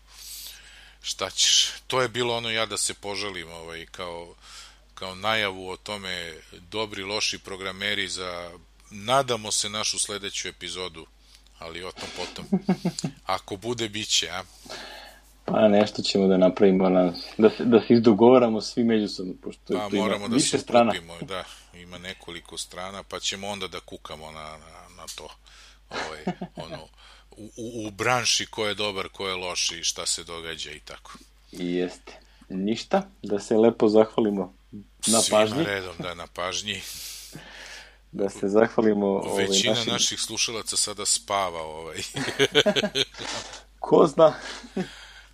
šta ćeš, to je bilo ja da se požalim, kao najavu o tome, dobri, loši programeri za, nadamo se, našu sledeću epizodu, ali o tom potom, ako bude, bit će, a? Pa nešto ćemo da napravimo, da se izdogovaramo svi međusobno, pošto pa, moramo da se skupimo, da, ima nekoliko strana, pa ćemo onda da kukamo na to, u branši ko je dobar, ko je loš i šta se događa i tako. Jeste. Ništa, da se lepo zahvalimo na pažnji. Svima redom, da, na pažnji. Da se zahvalimo većina naših slušalaca sada spava. Ko zna?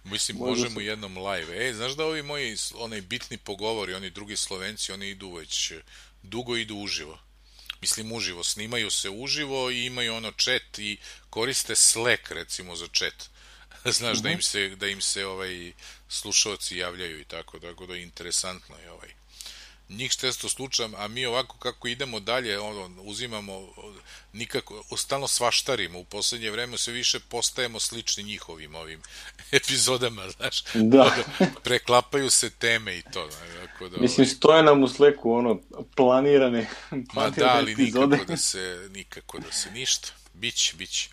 Mislim, možemo jednom live. Znaš da ovi moji bitni pogovori, oni drugi Slovenci, oni idu već dugo idu uživo. Mislim, uživo, snimaju se uživo i imaju chat i koriste Slack, recimo, za chat. Znaš, da im se slušalci javljaju i tako da je interesantno je njih često slučam, a mi ovako kako idemo dalje, uzimamo nikako, stalno svaštarimo, u poslednje vreme sve više postajemo slični njihovim ovim epizodama, znaš, preklapaju se teme i to. Mislim, stoje nam u Slacku, planirane ma da, ali nikako da se ništa, biće.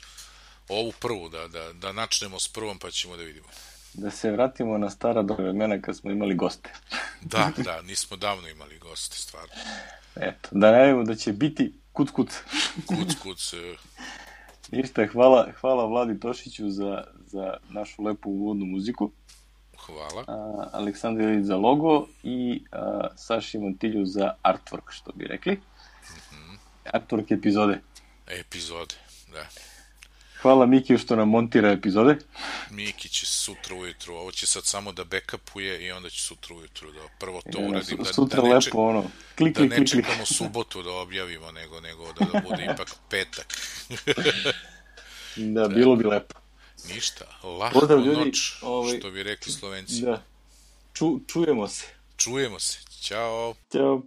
Ovu prvu, da načnemo s prvom pa ćemo da vidimo. Da se vratimo na stara vremena kad smo imali goste. Da, nismo davno imali goste, stvarno. Eto, da najavimo da će biti kuc. Kuc. Ništa, hvala Vladi Tošiću za našu lepu uvodnu muziku. Hvala. Aleksandru Ilić za logo i Saši Montilju za artwork, što bi rekli. Artwork epizode, da. Hvala Mikiju što nam montira epizode. Miki će sutra ujutru, ovo će sad samo da backupuje i onda će sutra ujutru da prvo to uradim. Da ne čekamo subotu da objavimo, nego da bude ipak petak. Da, bilo bi lepo. Ništa, lahko noć, što bi rekli Slovenci. Da, čujemo se. Ćao. Ćao.